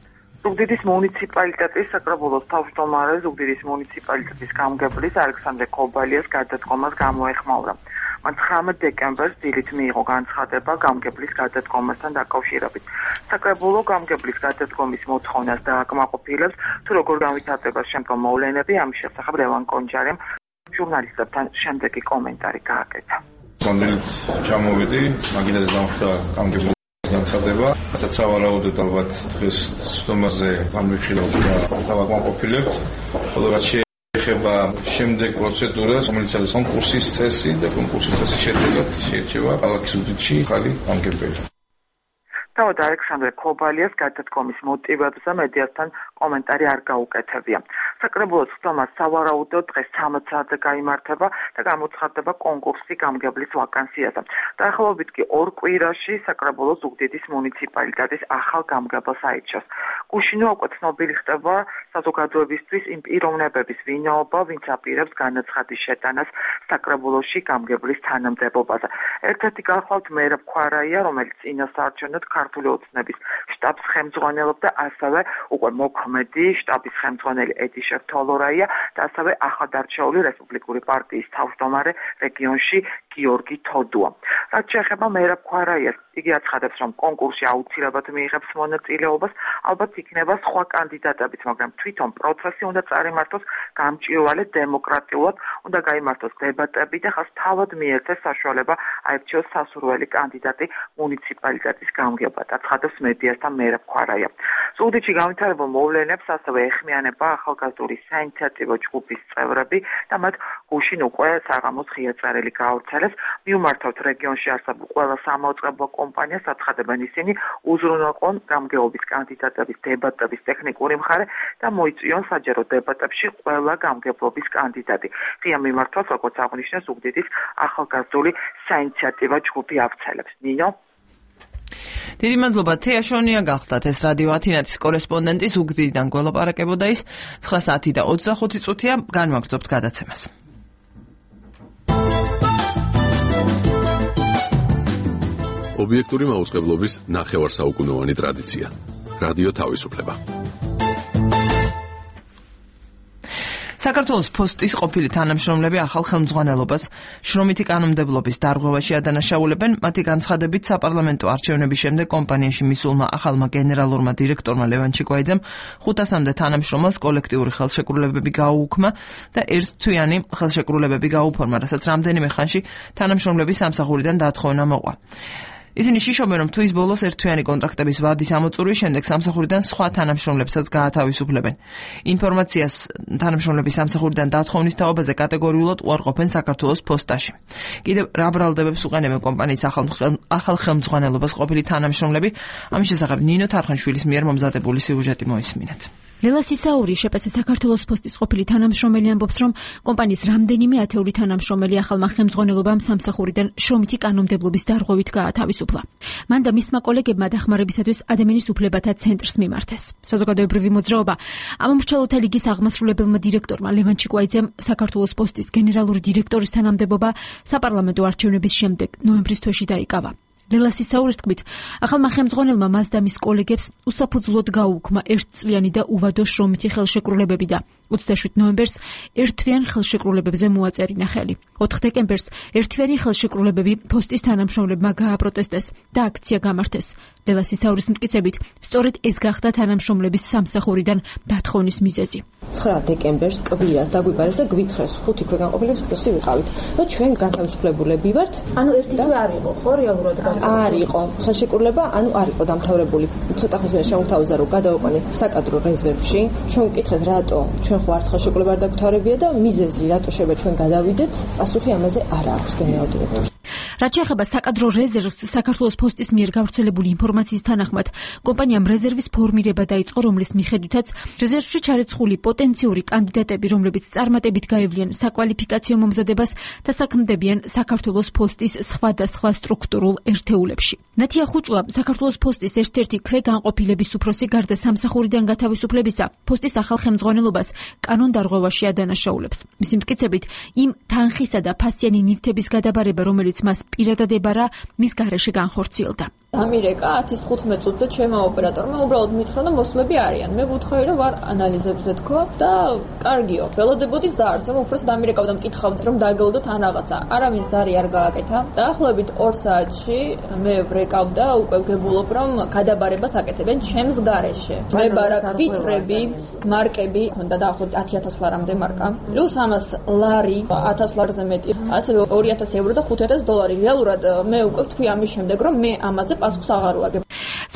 ზუგდიდის მუნიციპალიტეტის საკრებულოს თავმჯდომარე ზუგდიდის მუნიციპალიტეტის გამგებლის ალექსანდრე კობალიას გადადგომას გამოეხმაურა. მან 19 დეკემბერს დილით მიიღო განცხადება გამგებლის გადადგომასთან დაკავშირებით. საკრებულო გამგებლის გადადგომის მოთხოვნას დააკმაყოფილებს, თუ როგორ განვითარდება შემდგომ მოვლენები, ამის შესახებ ლევან კონჯარემ ჟურნალისტებთან შემდეგი კომენტარი გააკეთა. სამდელით ჩამოვიდი, მაგიდაზე დამხვდა გამგებლის განცხადება, რასაც სავარაუდოდ ალბათ დღეს სტომაზე გამიხილავთ და დავაკმაყოფილებთ, ხოლო რაც ეხება შემდეგ პროცედურას, რომელიც არის კონკურსის წესი და კონკურსის წესის შედეგად შეირჩევა ქალაქის უდიდში ხალი გამგებელი. თავად ალექსანდრე ქობალიას გადადგომის მოტივებზე მედიასთან კომენტარი არ გაუკეთებია. საკრებულოს ხდომას სავარაუდოდ დღეს 13 საათზე გაიმართება და გამოცხადდება კონკურსი გამგებლის ვაკანსიაზე. დაახლოებით კი 2 კვირაში საკრებულოს ზუგდიდის მუნიციპალიტეტის ახალ გამგებელს აირჩევს. გუშინო უკვე ცნობილი ხდება საზოგადოებისთვის იმ პიროვნებების ვინაობა, ვინც აპირებს განაცხადის შეტანას საკრებულოში გამგებლის თანამდებობაზე. ერთ-ერთი გახლავთ მერაბ ქვარაია, რომელიც წინასაარჩევნოდ ქართული ოცნების შტაბს ხელმძღვანელობდა, ასევე უკვე მოქმედი შტაბის ხელმძღვანელი ედიშ თოლორაია და ასევე ახალდარჩეული რესპუბლიკური პარტიის თავმჯდომარე რეგიონში გიორგი თოდუა. რაც შეეხება მერაბ ქვარაიას, იგი აცხადებს, რომ კონკურსში აუცილებლად მიიღებს მონაწილეობას, ალბათ იქნება სხვა კანდიდატებიც, მაგრამ თვითონ პროცესი უნდა წარიმართოს გამჭვირვალე დემოკრატიულად, უნდა გაიმართოს დებატები და ხას თავად მიეცეს საშუალება აირჩიოს სასურველი კანდიდატი მუნიციპალიტეტის გამგებლად, აცხადებს მედიასთან მერაბ ქვარაია. ზუგდიდში განვითარებულ მოვლენებს ასევე ეხმიანება ახალგაზრდული საინიციატივო ჯგუფის წევრები და მათ გუშინ უკვე საღამოს ღია წერილი გაავრცელეს. მიუმართავთ რეგიონში არსებულ ყველა სამაუწყებლო კომპანიას, აცხადებენ ისინი უზრუნველყონ გამგეობის კანდიდატების დებატების ტექნიკური მხარე და მოიწვიონ საჯარო დებატებში ყველა გამგებლობის კანდიდატი. ღია მიმართვას, როგორც აღნიშნეს, ზუგდიდის ახალგაზრდული საინიციატივო ჯგუფი ავრცელებს. ნინო დიდი მადლობა თეაშონია გახდათ ეს რადიო ათინათის კორესპონდენტი ზუგდიდიდან გველაპარაკებოდა ის 9 საათი და 25 წუთია განვაგრძობთ გადაცემას. ობიექტური მაუწყებლობის ნახევარსაუკუნოვანი ტრადიცია. რადიო თავისუფლება. საქართველოს პოსტის ყოფილი თანამშრომლები ახალ ხელმძღვანელობას შრომითი კანონმდებლობის დარღვევაში ადანაშაულებენ. მათი განცხადებით, საპარლამენტო არჩევნების შემდეგ კომპანიაში მისულმა ახალმა გენერალურმა დირექტორმა ლევან ჩიკვაიძემ 500-მდე თანამშრომელს კოლექტიური ხელშეკრულებები გაუუქმა და ერთთვიანი ხელშეკრულებები გაუფორმა, რასაც რამდენიმე ხანში თანამშრომლების სამსახურიდან დათხოვნა მოყვა. ისინი შიშობენ, რომ თვის ბოლოს ერთთვიანი კონტრაქტების ვადის ამოწურვის შემდეგ სამსახურიდან სხვა თანამშრომლებსაც გაათავისუფლებენ. ინფორმაციას თანამშრომლების სამსახურიდან დათხოვნის თაობაზე კატეგორიულად უარყოფენ საქართველოს პოსტაში. კიდევ რა ბრალდებებს უყენებენ კომპანიის ახალ ხელმძღვანელობას ყოფილი თანამშრომლები, ამის შესახებ ნინო თარხანშვილის მიერ მომზადებული სიუჟეტი მოისმინეთ. ლელა სისაური, შეპეს საქართველოს პოსტის ყოფილი თანამშრომელი ამბობს, რომ კომპანიის რამდენიმე ათეული თანამშრომელი ახალმა ხელმძღვანელობამ სამსახურიდან შრომითი კანონმდებლობის დარღვევით გაათავისუფლა. მან და მისმა კოლეგებმა დახმარებისათვის ადამიანის უფლებათა ცენტრს მიმართეს. საზოგადოებრივი მოძრაობა ამომრჩეველთა ლიგის აღმასრულებელმა დირექტორმა ლევან ჩიკვაიძემ საქართველოს პოსტის გენერალური დირექტორის თანამდებობა საპარლამენტო არჩევნების შემდეგ ნოემბრის თვეში დაიკავა. ლელა სისაურის თქმით, ახალმა ხელმძღვანელმა მას და მის კოლეგებს უსაფუძვლოდ გაუუქმა ერთწლიანი და უვადო შრომითი ხელშეკრულებები და 27 ნოემბერს ერთთვიან ხელშეკრულებებზე მოაწერინა ხელი. 4 დეკემბერს ერთთვიანი ხელშეკრულებები პოსტის თანამშრომლებმა გააპროტესტეს და აქცია გამართეს. ლელა სისაურის მტკიცებით, სწორედ ეს გახდა თანამშრომლების სამსახურიდან დათხოვნის მიზეზი. 9 დეკემბერს კვირას დაგვიბარეს და გვითხრეს 5 ქვეგან ყოფილებს პლუსი ვიყავით. და ჩვენ გათავისუფლებულები ვართ. ანუ ერთი თვე არ იყო, ხო რეალურად? არ იყო ხელშეკრულება, ანუ არ იყო დამთავრებული. ცოტა ხნის მერე შემოგთავაზა, რომ გადავაყვანეთ საკადრო რეზერვში. ჩვენ ვკითხეთ, რატო ჩვენ ხო არც ხელშეკრულება არ დაგვთავრებია და მიზეზი რატო შეიძლება ჩვენ გადავიდეთ? პასუხი ამაზე არ აქვს გენერალურ დირექტორს. რაც შეეხება საკადრო რეზერვს, საქართველოს პოსტის მიერ გავრცელებული ინფორმაციის თანახმად, კომპანიამ რეზერვის ფორმირება დაიწყო, რომლის მიხედვითაც რეზერვში ჩარეცხული პოტენციური კანდიდატები, რომლებიც წარმატებით გაევლიან საკვალიფიკაციო მომზადებას და საქმდებიან საქართველოს პოსტის სხვადასხვა სტრუქტურულ ერთეულებში. ნათია ხუჭუა, საქართველოს პოსტის ერთ-ერთი ქვეგანყოფილების უფროსი, გარდა სამსახურიდან გათავისუფლებისა, პოსტის ახალ ხელმძღვანელობას კანონდარღვევაში ადანაშაულებს. მისი მტკიცებით, იმ თანხისა და ფასიანი ნივთების გადაბარება, რომელიც მას პირადად ებარა, მის გარეშე განხორციელდა. დამირეკა 10-15 წუთზე ჩემმა ოპერატორმა უბრალოდ მითხრა, რომ მოსვლები არიან. მე ვუთხოვი, რომ ვარ ანალიზებზე თქო და კარგიო. ველოდებოდი ზარს, რომ უბრალოდ დამირეკავ და მკითხავთ, რომ დაგელოდოთ ან რაღაცა. არავინ ზარი არ გააკეთა. დაახლოებით 2 საათში მე ვრეკავ და უკვე ვგებულობ, რომ გადაბარებას აკეთებენ ჩემს გარეშე. მე ბარაკ ვიტრები, მარკები, ქონდა დაახლოებით 10,000 ლარამდე მარკა. პლუს ამას ლარი 1000 ლარზე მეტი. ასევე 2000 ევრო და 5000 დოლარი. რეალურად მე უკვე ვთქვი ამის შემდეგ, რომ მე ამაზე პასუხს აღარ ვაგებ.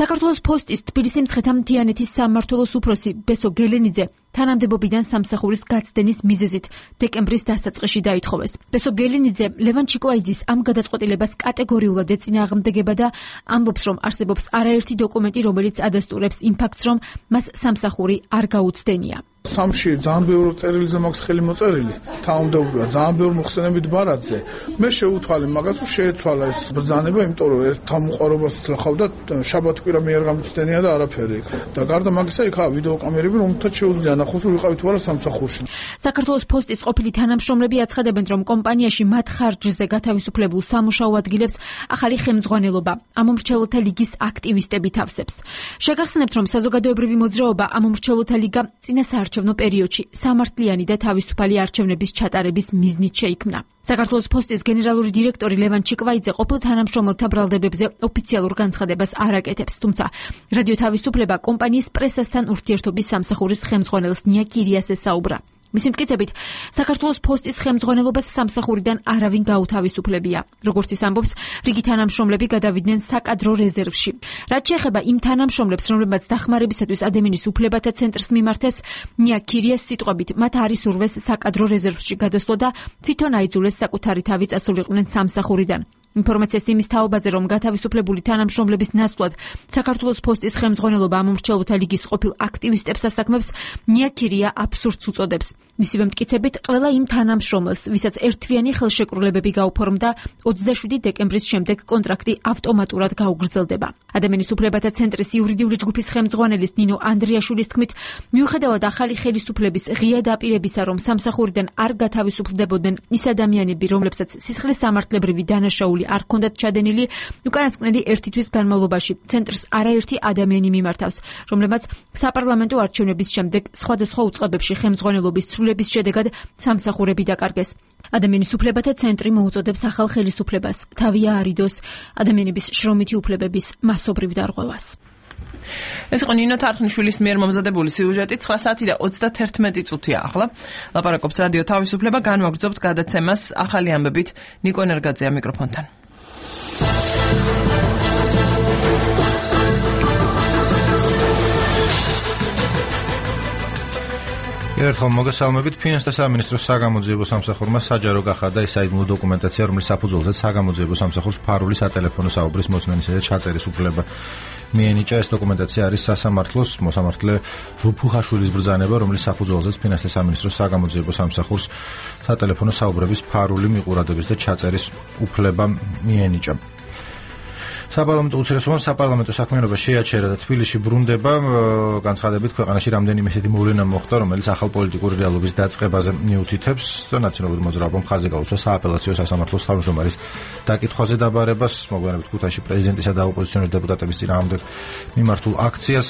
საქართველოს პოსტის თბილისი მცხეთა მთიანეთის სამმართველოს უფროსი ბესო გელენიძე თანამდებობიდან სამსახურის გაცდენის მიზეზით დეკემბრის დასაწყისში დაითხოვეს. ბესო გელინიძე ლევან ჩიკვაიძის ამ გადაწყვეტილებას კატეგორიულად ეწინააღმდეგება და ამბობს, რომ არსებობს არაერთი დოკუმენტი, რომელიც ადასტურებს იმ ფაქტს, რომ მას სამსახური არ გაუცდენია. სამში ძალიან ბევრი წერილზე მაქვს ხელი მოწერილი, თანამდებობია ძალიან ბევრი მოხსენებით ბარათზე. მე შეუთვალე მაგას, რომ შეეცვალა ეს ბრძანება, იმიტომ რომ ერთ თავმოყარობას ახლავდა შაბათ-კვირა მე არ გამოცდენია და არაფერი. და გარდა მაგისა იქაა ვიდეოკამერები, რომელთაც შეუძლია ნახოს, რომ ვიყავით ვარა სამსახურში. საქართველოს ფოსტის ყოფილი თანამშრომლები აცხადებენ, რომ კომპანიაში მათ ხარჯზე გათავისუფლებულ სამუშაო ადგილებს ახალი ხელმძღვანელობა ამომრჩეველთა ლიგის აქტივისტები თავსებს. შეგახსენებთ, რომ საზოგადოებრივი მოძრაობა ამომრჩეველთა ლიგა წინა საარჩევნო პერიოდში სამართლიანი და თავისუფალი არჩევნების ჩატარების მიზნით შეიქმნა. საქართველოს ფოსტის გენერალური დირექტორი ლევან ჩიკვაიძე ყოფილ თანამშრომელთა ბრალდებებზე ოფიციალურ განცხადებას არ აკეთებს, თუმცა რადიო თავისუფლება კომპანიის პრესასთან ურთიერთობის სამსახურის ხელმძღვანელს ნია კირიას ესაუბრა. მისი მტკიცებით, საქართველოს ფოსტის ხელმძღვანელობას სამსახურიდან არავინ გაუთავისუფლებია. როგორც ის ამბობს, რიგი თანამშრომლები გადავიდნენ საკადრო რეზერვში. რაც შეეხება იმ თანამშრომლებს, რომლებმაც დახმარებისათვის ადამიანის უფლებათა ცენტრს მიმართეს, ნია კირიას სიტყვებით, მათ არის ურვეს საკადრო რეზერვში გადასვლა და თვითონ აიძულეს საკუთარი თავი წასულიყვნენ სამსახურიდან. ინფორმაციას იმის თაობაზე, რომ გათავისუფლებული თანამშრომლების ნაცვლად საქართველოს ფოსტის ხელმძღვანელობა ამომრჩეველთა ლიგის ყოფილ აქტივისტებს ასაქმებს, ნია კირია აბსურდს უწოდებს. მისივე მტკიცებით, ყველა იმ თანამშრომელს, ვისაც ერთთვიანი ხელშეკრულებები გაუფორმდა, 27 დეკემბრის შემდეგ კონტრაქტი ავტომატურად გაუგრძელდება. ადამიანის უფლებათა ცენტრის იურიდიული ჯგუფის ხელმძღვანელის ნინო ანდრიაშვილის თქმით, მიუხედავად ახალი ხელისუფლების ღია დაპირებისა, რომ სამსახურიდან არ გათავისუფლდებოდნენ ის ადამიანები, რომლებსაც სისხლის სამართლებრივი დანაშაული არ ჰქონდათ ჩადენილი, უკანასკნელი ერთი თვის განმავლობაში ცენტრს არაერთი ადამიანი მიმართავს, რომლებმაც საპარლამენტო არჩევნების შემდეგ სხვადასხვა უწყებებში ხელმძღვანელობის ცვლილების შედეგად სამსახურები დაკარგეს. ადამიანის უფლებათა ცენტრი მოუწოდებს ახალ ხელისუფლებას თავი აარიდოს ადამიანების შრომითი უფლებების მასობრივ დარღვევას. ეს იყო ნინო თარხნიშვილის მიერ მომზადებული სიუჟეტი. 9 საათი და 31 წუთია ახლა. ლაპარაკობს რადიო თავისუფლება, განვაგრძობთ გადაცემას ახალი ამბებით. ნიკო ენერგაძეა მიკროფონთან. ერთხელ მოგესალმებით. ფინანსთა სამინისტროს საგამოძიებო სამსახურმა საჯარო გახადა ის საიდუმლო დოკუმენტაცია, რომლის საფუძველზეც საგამოძიებო სამსახურს ფარული სატელეფონო საუბრის მოსმენისა და ჩაწერის უფლება მიენიჭა. ეს დოკუმენტაცია არის სასამართლოს მოსამართლე ვუფუხაშვილის ბრძანება, რომლის საფუძველზეც ფინანსთა სამინისტროს საგამოძიებო სამსახურს სატელეფონო საუბრების ფარული მიყურადობის და ჩაწერის უფლება მიენიჭა. საპარლამენტო უცირესობამ საპარლამენტო საქმიანობა შეაჩერა და თბილისში ბრუნდება. განცხადებით, ქვეყანაში რამდენიმე ისეთი მოვლენა მოხდა, რომელიც ახალ პოლიტიკური რეალობის დაწყებაზე მიუთითებს და ნაციონალური მოძრაობამ ხაზი გაუსვა სააპელაციო სასამართლოს თავმჯდომარის დაკითხვაზე დაბარებას. მოგვიანებით ქუთაისში პრეზიდენტისა და ოპოზიციონერი დეპუტატების წინააღმდეგ მიმართულ აქციას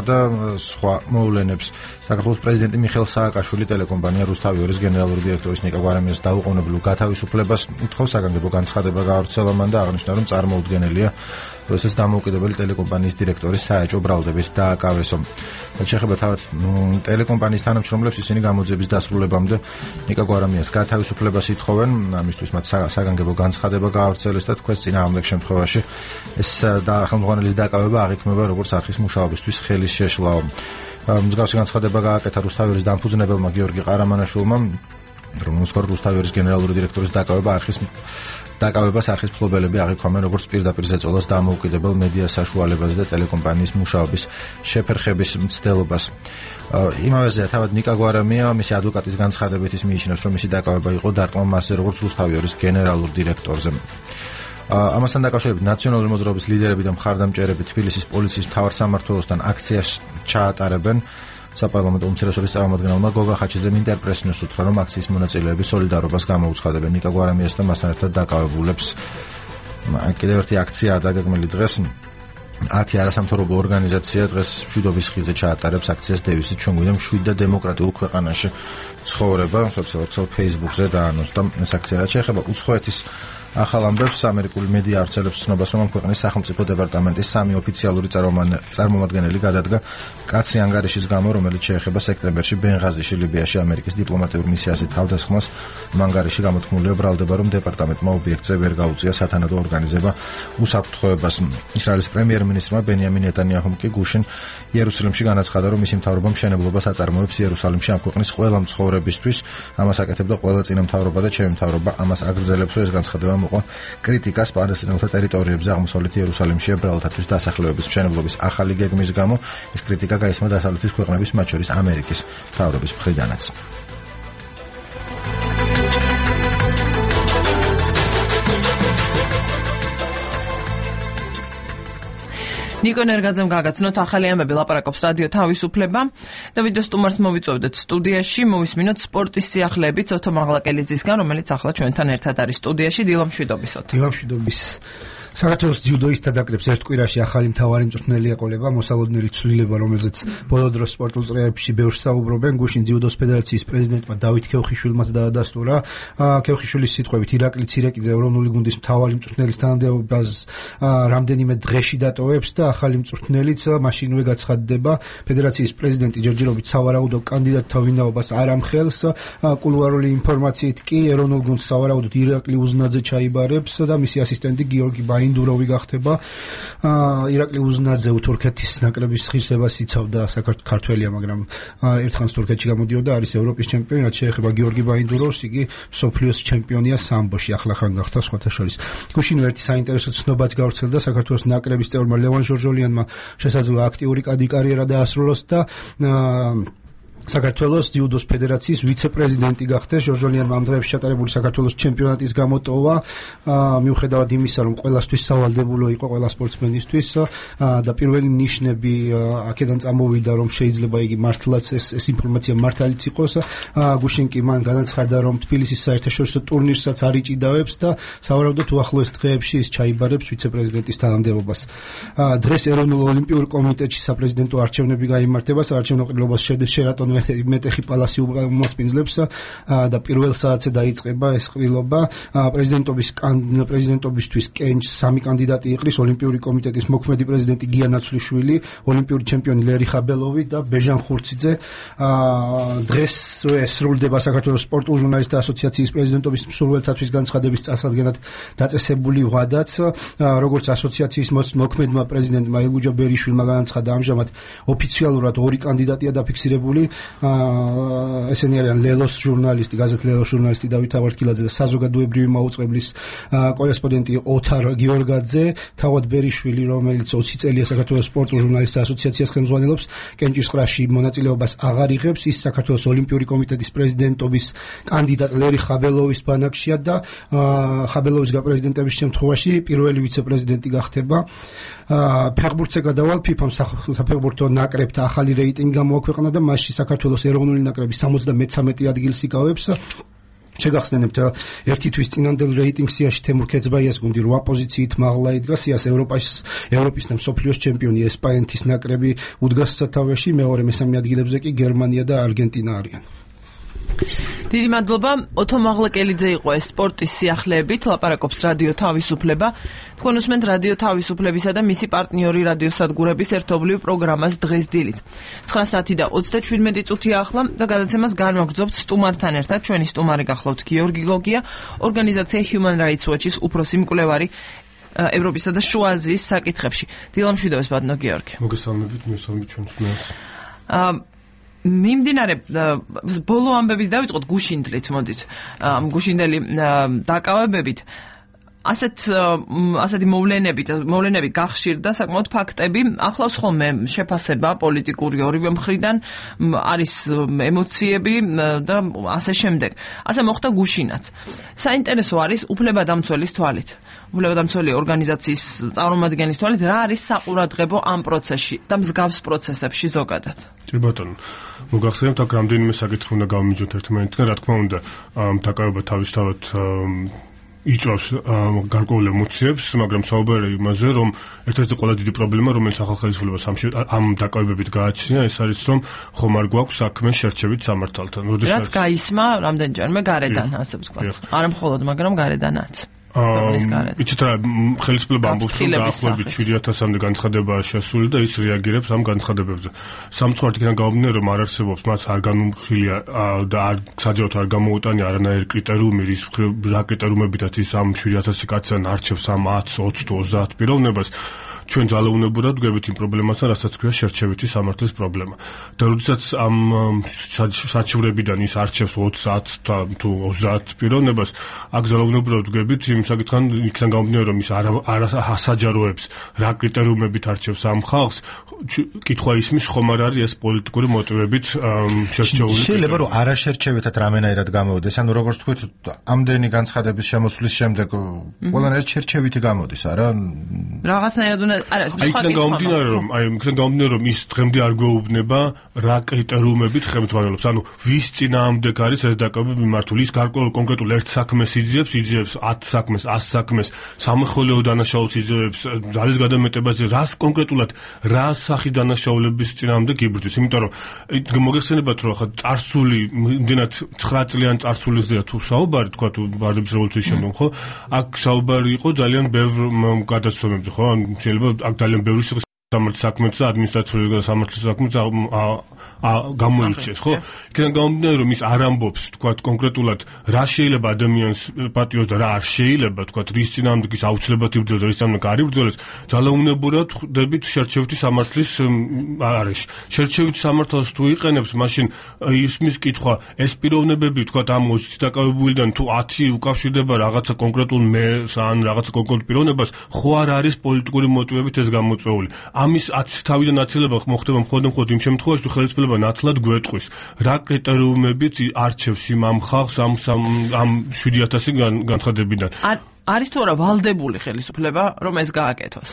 და სხვა მოვლენებს. საქართველოს პრეზიდენტი მიხეილ სააკაშვილი ტელეკომპანია რუსთავიორის გენერალური დირექტორის ნიკა გვარამიას დაუყოვნებლივ გათავისუფლებას ითხოვს. საგანგებო განცხადება გაავრცელა მან და აღნიშნა, რომ წარმოუდგენელია რუსეთის დამოუკიდებელი ტელეკომპანიის დირექტორის საეჭვო ბრალდებით დააკავესო. შეეხება თავად ტელეკომპანიის თანამშრომლებს, ისინი გამოძიების დასრულებამდე ნიკა გვარამიას გათავისუფლებას ითხოვენ. ამისთვის მათ საგანგებო განცხადება გაავრცელეს და თქვენს წინააღმდეგ შემთხვევაში ეს ხელმძღვანელის დაკავება აღიქმება როგორც არხის მუშაობისთვის ხელის შეშლაო. მსგავსი განცხადება გააკეთა რუსთავიორის დამფუძნებელმა გიორგი ყარამანაშვილმა, რომელმაც რუსთავიორის გენერალური დირექტორის დაკავებას არხის მფლობელები აღიქვამენ როგორც პირდაპირ ზეწოლას დამოუკიდებელ მედია საშუალებაზე და ტელეკომპანიის მუშაობის შეფერხების მცდელობას. იმავეზეა თავად ნიკა გვარამია მისი ადვოკატის განცხადებით ის მიიჩნევს, რომ მისი დაკავება იყო დარტყმა მასზე როგორც რუსთავიორის გენერალურ დირექტორზე. ამასთან დაკავშირებით ნაციონალური მოძრაობის ლიდერები და მხარდამჭერები თბილისის პოლიციის მთავარ სამმართველოსთან აქციას ჩაატარებენ. საპარლამენტო უმცირესობის წარმომადგენელმა გოგა ხაჩიძემ ინტერპრესს უთხრა, რომ აქციის მონაწილეები სოლიდარობას გამოუცხადებენ ნიკა გვარამიას და მასთან ერთად დაკავებულებს. კიდევ ერთი აქციაა დაგეგმილი დღეს. 10 არასამთავრობო ორგანიზაცია დღეს მშვიდობის ხიზე ჩაატარებს აქციას დევიზით ჩვენ გვინდა მშვიდ და დემოკრატიულ ქვეყანაში ცხოვრება. სოციალურ ქსელ Facebook-ზე დაანონსდა ეს აქცია. რაც შეეხება უცხოეთის ახალ ამბებს ამერიკული მედია ავრცელებს ცნობას, რომ ქვეყნის სახელმწიფო დეპარტამენტის 3 ოფიციალური წარმომადგენელი გადადგა კაცი ანგარიშის გამო, რომელიც შეეხება სექტემბერში ბენღაზიში, ლიბიაში ამერიკის დიპლომატიურ მისიაზე თავდასხმას. ანგარიში გამოთქმულია ბრალდება, რომ დეპარტამენტმა ობიექტზე ვერ გაუწია სათანადო ორგანიზება უსაფრთხოებას. ისრაელის პრემიერ-მინისტრმა ბენიამინ ნეტანიაჰუმ კი გუშინ იერუსალიმში განაცხადა, რომ მისი მთავრობა მშენებლობას აწარმოებს იერუსალიმში ამ ქვეყნის ყველა მცხოვრებისთვის. ამას აკეთებდა ყველა წინამთავრობა და ჩემი მთავრობა ამას აგრძელებს, რომ ეს განცხადება მოყვა კრიტიკას პალესტინელთა ტერიტორიებზე აღმოსავლეთ იერუსალიმში ებრაელთათვის დასახლებების მშენებლობის ახალი გეგმის გამო. ეს კრიტიკა გაისმა დასავლეთის ქვეყნების, მათ შორის ამერიკის მთავრობის მხრიდანაც. ნიკო ნერგაძემ გაგაცნოთ ახალი ამბები, ლაპარაკობს რადიო თავისუფლება. დავით სტუმარს მოვიწვევდეთ სტუდიაში, მოვისმინოთ სპორტის სიახლეებით ოთო მაღლაკელიძისგან, რომელიც ახლა ჩვენთან ერთად არის სტუდიაში. დილამშვიდობისოთ. დილამშვიდობის. საქართველოს ძიუდოისტთა დაკრებს ერთ კვირაში ახალი მთავარი მწვრთნელი ეყოლება, მოსალოდნელი ცვლილება, რომელზეც ბოლო დროს სპორტულ წრეებში ბევრს საუბრობენ. გუშინ ძიუდოს ფედერაციის პრეზიდენტმა დავით ქეუხიშვილმა დაადასტურა. ქეუხიშვილის სიტყვებით ირაკლი ცირეკიძე ეროვნული გუნდის მთავარი მწვრთნელის თანამდებობას რამდენიმე დღეში დატოვებს და ახალი მწვრთნელიც მაშინვე გაცხადდება. ფედერაციის პრეზიდენტი ჯერჯერობით სავარაუდო კანდიდატთა ვინაობას არ ამხელს. კულუარული ინფორმაციით კი ეროვნულ გუნდს სავარაუდოდ ირაკლი უზნაძე ჩაიბარებს და მისი ასისტენტი გიორგი ინდურავი გახდება. ირაკლი უზნაძე თურქეთის ნაკრების ღირსებას იცავდა, საქართველია, მაგრამ ერთხანს თურქეთში გამოდიოდა, არის ევროპის ჩემპიონი, რაც შეეხება გიორგი ბაინდუროვს, იგი მსოფლიოს ჩემპიონია სამბოში, ახლახან გახდა სხვათა შორის. გუშინვე ერთი საინტერესო ცნობაც გავრცელდა, საქართველოს ნაკრების წევრმა ლევან ჟორჟოლიანმა შესაძლოა აქტიური კარიერა დაასრულოს და საქართველოს ძიუდოს ფედერაციის ვიცე-პრეზიდენტი გახდეს. ჟორჟოლიანმა ამ დღეებში ჩატარებული საქართველოს ჩემპიონატის გამოტოვა, მიუხედავად იმისა, რომ ყველასთვის სავალდებულო იყო ყველა სპორტსმენისთვის და პირველი ნიშნები აქედან წამოვიდა, რომ შეიძლება იგი მართლაც ეს ინფორმაცია მართალიც იყოს. გუშინ კი მან განაცხადა, რომ თბილისის საერთაშორისო ტურნირსაც არ იჭიდავებს და სავარაუდოდ უახლოეს დღეებში ის ჩაიბარებს ვიცე-პრეზიდენტის თანამდებობას. დღეს ეროვნულ ოლიმპიურ კომიტეტში საპრეზიდენტო არჩევნები გაიმართება, საარჩევნო ყრილობას შერატონ მეტეხი პალასი უმასპინძლებს და პირველ საათზე დაიწყება ეს ყრილობა. პრეზიდენტობისთვის კენჭს 3 კანდიდატი იყრის: ოლიმპიური კომიტეტის მოქმედი პრეზიდენტი გია ნაცვლიშვილი, ოლიმპიური ჩემპიონი ლერი ხაბელოვი და ბეჟან ხურციძე. დღეს სრულდება საქართველოს სპორტულ ჟურნალისტთა ასოციაციის პრეზიდენტობის მსურველთათვის განცხადების წასადგენად დაწესებული ვადაც. როგორც ასოციაციის მოქმედმა პრეზიდენტმა ილგუჯა ბერიშვილმა განაცხადა, ამჟამად ოფიციალურად 2 კანდიდატია დაფიქსირებული. ესენი არიან ლელოს ჟურნალისტი, გაზეთ ლელოს ჟურნალისტი დავით ავარდკილაძე და საზოგადოებრივი მაუწყებლის კორესპონდენტი ოთარ გიორგაძე. თავად ბერიშვილი, რომელიც 20 წელია საქართველოს სპორტულ ჟურნალისტთა ასოციაციას ხელმძღვანელობს, კენჭისყრაში მონაწილეობას აღარ იღებს. ის საქართველოს ოლიმპიური კომიტეტის პრეზიდენტობის კანდიდატ ლერი ხაბელოვის ბანაკშია და ხაბელოვის გაპრეზიდენტების შემთხვევაში პირველი ვიცე-პრეზიდენტი გახდება. ფეხბურთზე გადავალ, ფიფამ საფეხბურთო ნაკრებთა ახალი რეიტინგი გამოაქვეყნა და მასში საქართველოს ეროვნული ნაკრები 73 ადგილს იკავებს. შეგახსენებთ, ერთი თვის წინანდელ რეიტინგ სიაში თემურ ქეცბაიას გუნდი 8 პოზიციით მაღლა იდგა. სიას ევროპის და მსოფლიოს ჩემპიონი ესპანეთის ნაკრები უდგას სათავეში, მეორე მესამე ადგილებზე კი გერმანია და არგენტინა არიან. დიდი მადლობა. ოთო მაღლაკელიძე იყო ეს სპორტის სიახლეებით, ლაპარაკობს რადიო თავისუფლება. თქვენ უსმენთ რადიო თავისუფლებისა და მისი პარტნიორი რადიოსადგურების ერთობლივ პროგრამას დღეს დილით. 9 საათი და 37 წუთია ახლა და გადაცემას განვაგრძობთ სტუმართან ერთად. ჩვენი სტუმარი გახლავთ გიორგი გოგია, ორგანიზაცია Human Rights Watch-ის უფროსი მკვლევარი ევროპისა და შუა აზიის საკითხებში. დილამშვიდობეს, ბატონო გიორგი. მოგესალმებით, მისალმებით ჩვენს სტუმარს. მიმდინარე ბოლო ამბებით დავიწყოთ გუშინდლით, მოდით. გუშინდელი დაკავებებით ასეთი მოვლენები გახშირდა, საკმაოდ ფაქტები ახლავს ხოლმე შეფასება პოლიტიკური ორივე მხრიდან, არის ემოციები და ასე შემდეგ. ასე მოხდა გუშინაც. საინტერესო არის უფლებადამცველის თვალით, უფლებადამცველი ორგანიზაციის წარმომადგენლის თვალით, რა არის საყურადღებო ამ პროცესში და მსგავს პროცესებში ზოგადად. კი ბატონო, მოგახსენებთ, აქ რამდენიმე საკითხი უნდა გავმიჯოთ ერთმანეთთან, რა თქმა უნდა, დაკავება თავისთავად იწვევს გარკვეულ ემოციებს, მაგრამ საუბარია იმაზე, რომ ერთ-ერთი ყველა დიდი პრობლემა, რომელიც ახალ ხელისუფლებას ამ დაკავებებით გააჩნია, ეს არის, რომ ხომ არ გვაქვს საქმე შერჩევით სამართალთან. რაც გაისმა რამდენჯერმე გარედან, ასე ვთქვათ. არა მხოლოდ, მაგრამ გარედანაც. იცით რა ხელისუფლება ამბობს რომ დაახლოებით 7000-მდე განცხადებაა შესული და ის რეაგირებს ამ განცხადებებზე. სამწუხაროდ იქიდან გამომდინარე რომ არ არსებობს მას არ განუმხილია და არ საჯაროდ არ გამოუტანია არანაირი კრიტერიუმი რა კრიტერიუმებითაც ის ამ 7000 კაცთან არჩევს ამ 10, 20 თუ 30 პიროვნებას ჩვენ ძალაუნებურად გვებით იმ პრობლემასთან, რასაც ქვია შერჩევითი სამართლის პრობლემა. და როდესაც ამ საჩივრებიდან ის არჩევს 20 თუ 30 პიროვნებას, აქ ძალაუნებურად გვებით იმ საკითხთან, იქიდან გამომდინარე რომ ის არ ასაჯაროებს რა კრიტერიუმებით არჩევს ამ ხალხს, კითხვა ისმის ხომ არ არის ეს პოლიტიკური მოტივებით შერჩეული. შეიძლება რომ არაშერჩევითად რამენაირად გამოვიდეს, ანუ როგორც თქვით, ამდენი განცხადების შემოსვლის შემდეგ ყველანაირად შერჩევითი გამოდის, არა? რაღაცნაირად იქიდან გამომდინარე რომ ის დღემდე არ გვეუბნება რა კრიტერიუმებით ხელმძღვანელობს, ანუ ვის წინააღმდეგ არის ეს დაკავება მიმართული, ის გარკვეულ კონკრეტულ ერთ საქმეს იძიებს 10 საქმეს, 100 საქმეს, სამხელეო დანაშაულს იძიებს, ძალის გადამეტებას, რას კონკრეტულად რა სახის დანაშაულების წინააღმდეგ იბრძვის, იმიტომ რომ მოგეხსენებათ რომ ხა წარსული იმდენად 9 წლიან წარსულისზეა თუ საუბარი, თქვა თუ ვარდების რევოლუციის შემდგომ, ხო? აქ საუბარი იყო ძალიან ბევრ გადაცემებზე, ხო? შეიძლება აქ ძალიან ბევრი სამართლის საქმეც და ადმინისტრაციული სამართლის საქმეც გამოირჩეს, ხო? იქიდან გამომდინარე რომ ის არ ამბობს, თქვა კონკრეტულად რა შეიძლება ადამიანს პატიოს და რა არ შეიძლება, თქვა რის წინააღმდეგ ის აუცილებლად იბრძოლოს და რის წინააღმდეგ არ იბრძოლოს, ძალაუნებურად ხვდებით შერჩევითი სამართლის არეში. შერჩევითი სამართალს თუ იყენებს, მაშინ ისმის კითხვა, ეს პიროვნებები, თქვა ამ 20 დაკავებულიდან თუ 10 უკავშირდება რაღაცა კონკრეტულ მეს ან რაღაცა კონკრეტულ პიროვნებას, ხო არ არის პოლიტიკური მოტივებით ეს გამოწვეული. ამის 10 თავიდან აცილება მოხდება მხოლოდ იმ შემთხვევაში, თუ ხელისუფლება ნათლად გვეტყვის, რა კრიტერიუმებით არჩევს ამ ხალხს ამ 7000 განცხადებიდან. არის თუ არა ვალდებული ხელისუფლება, რომ ეს გააკეთოს?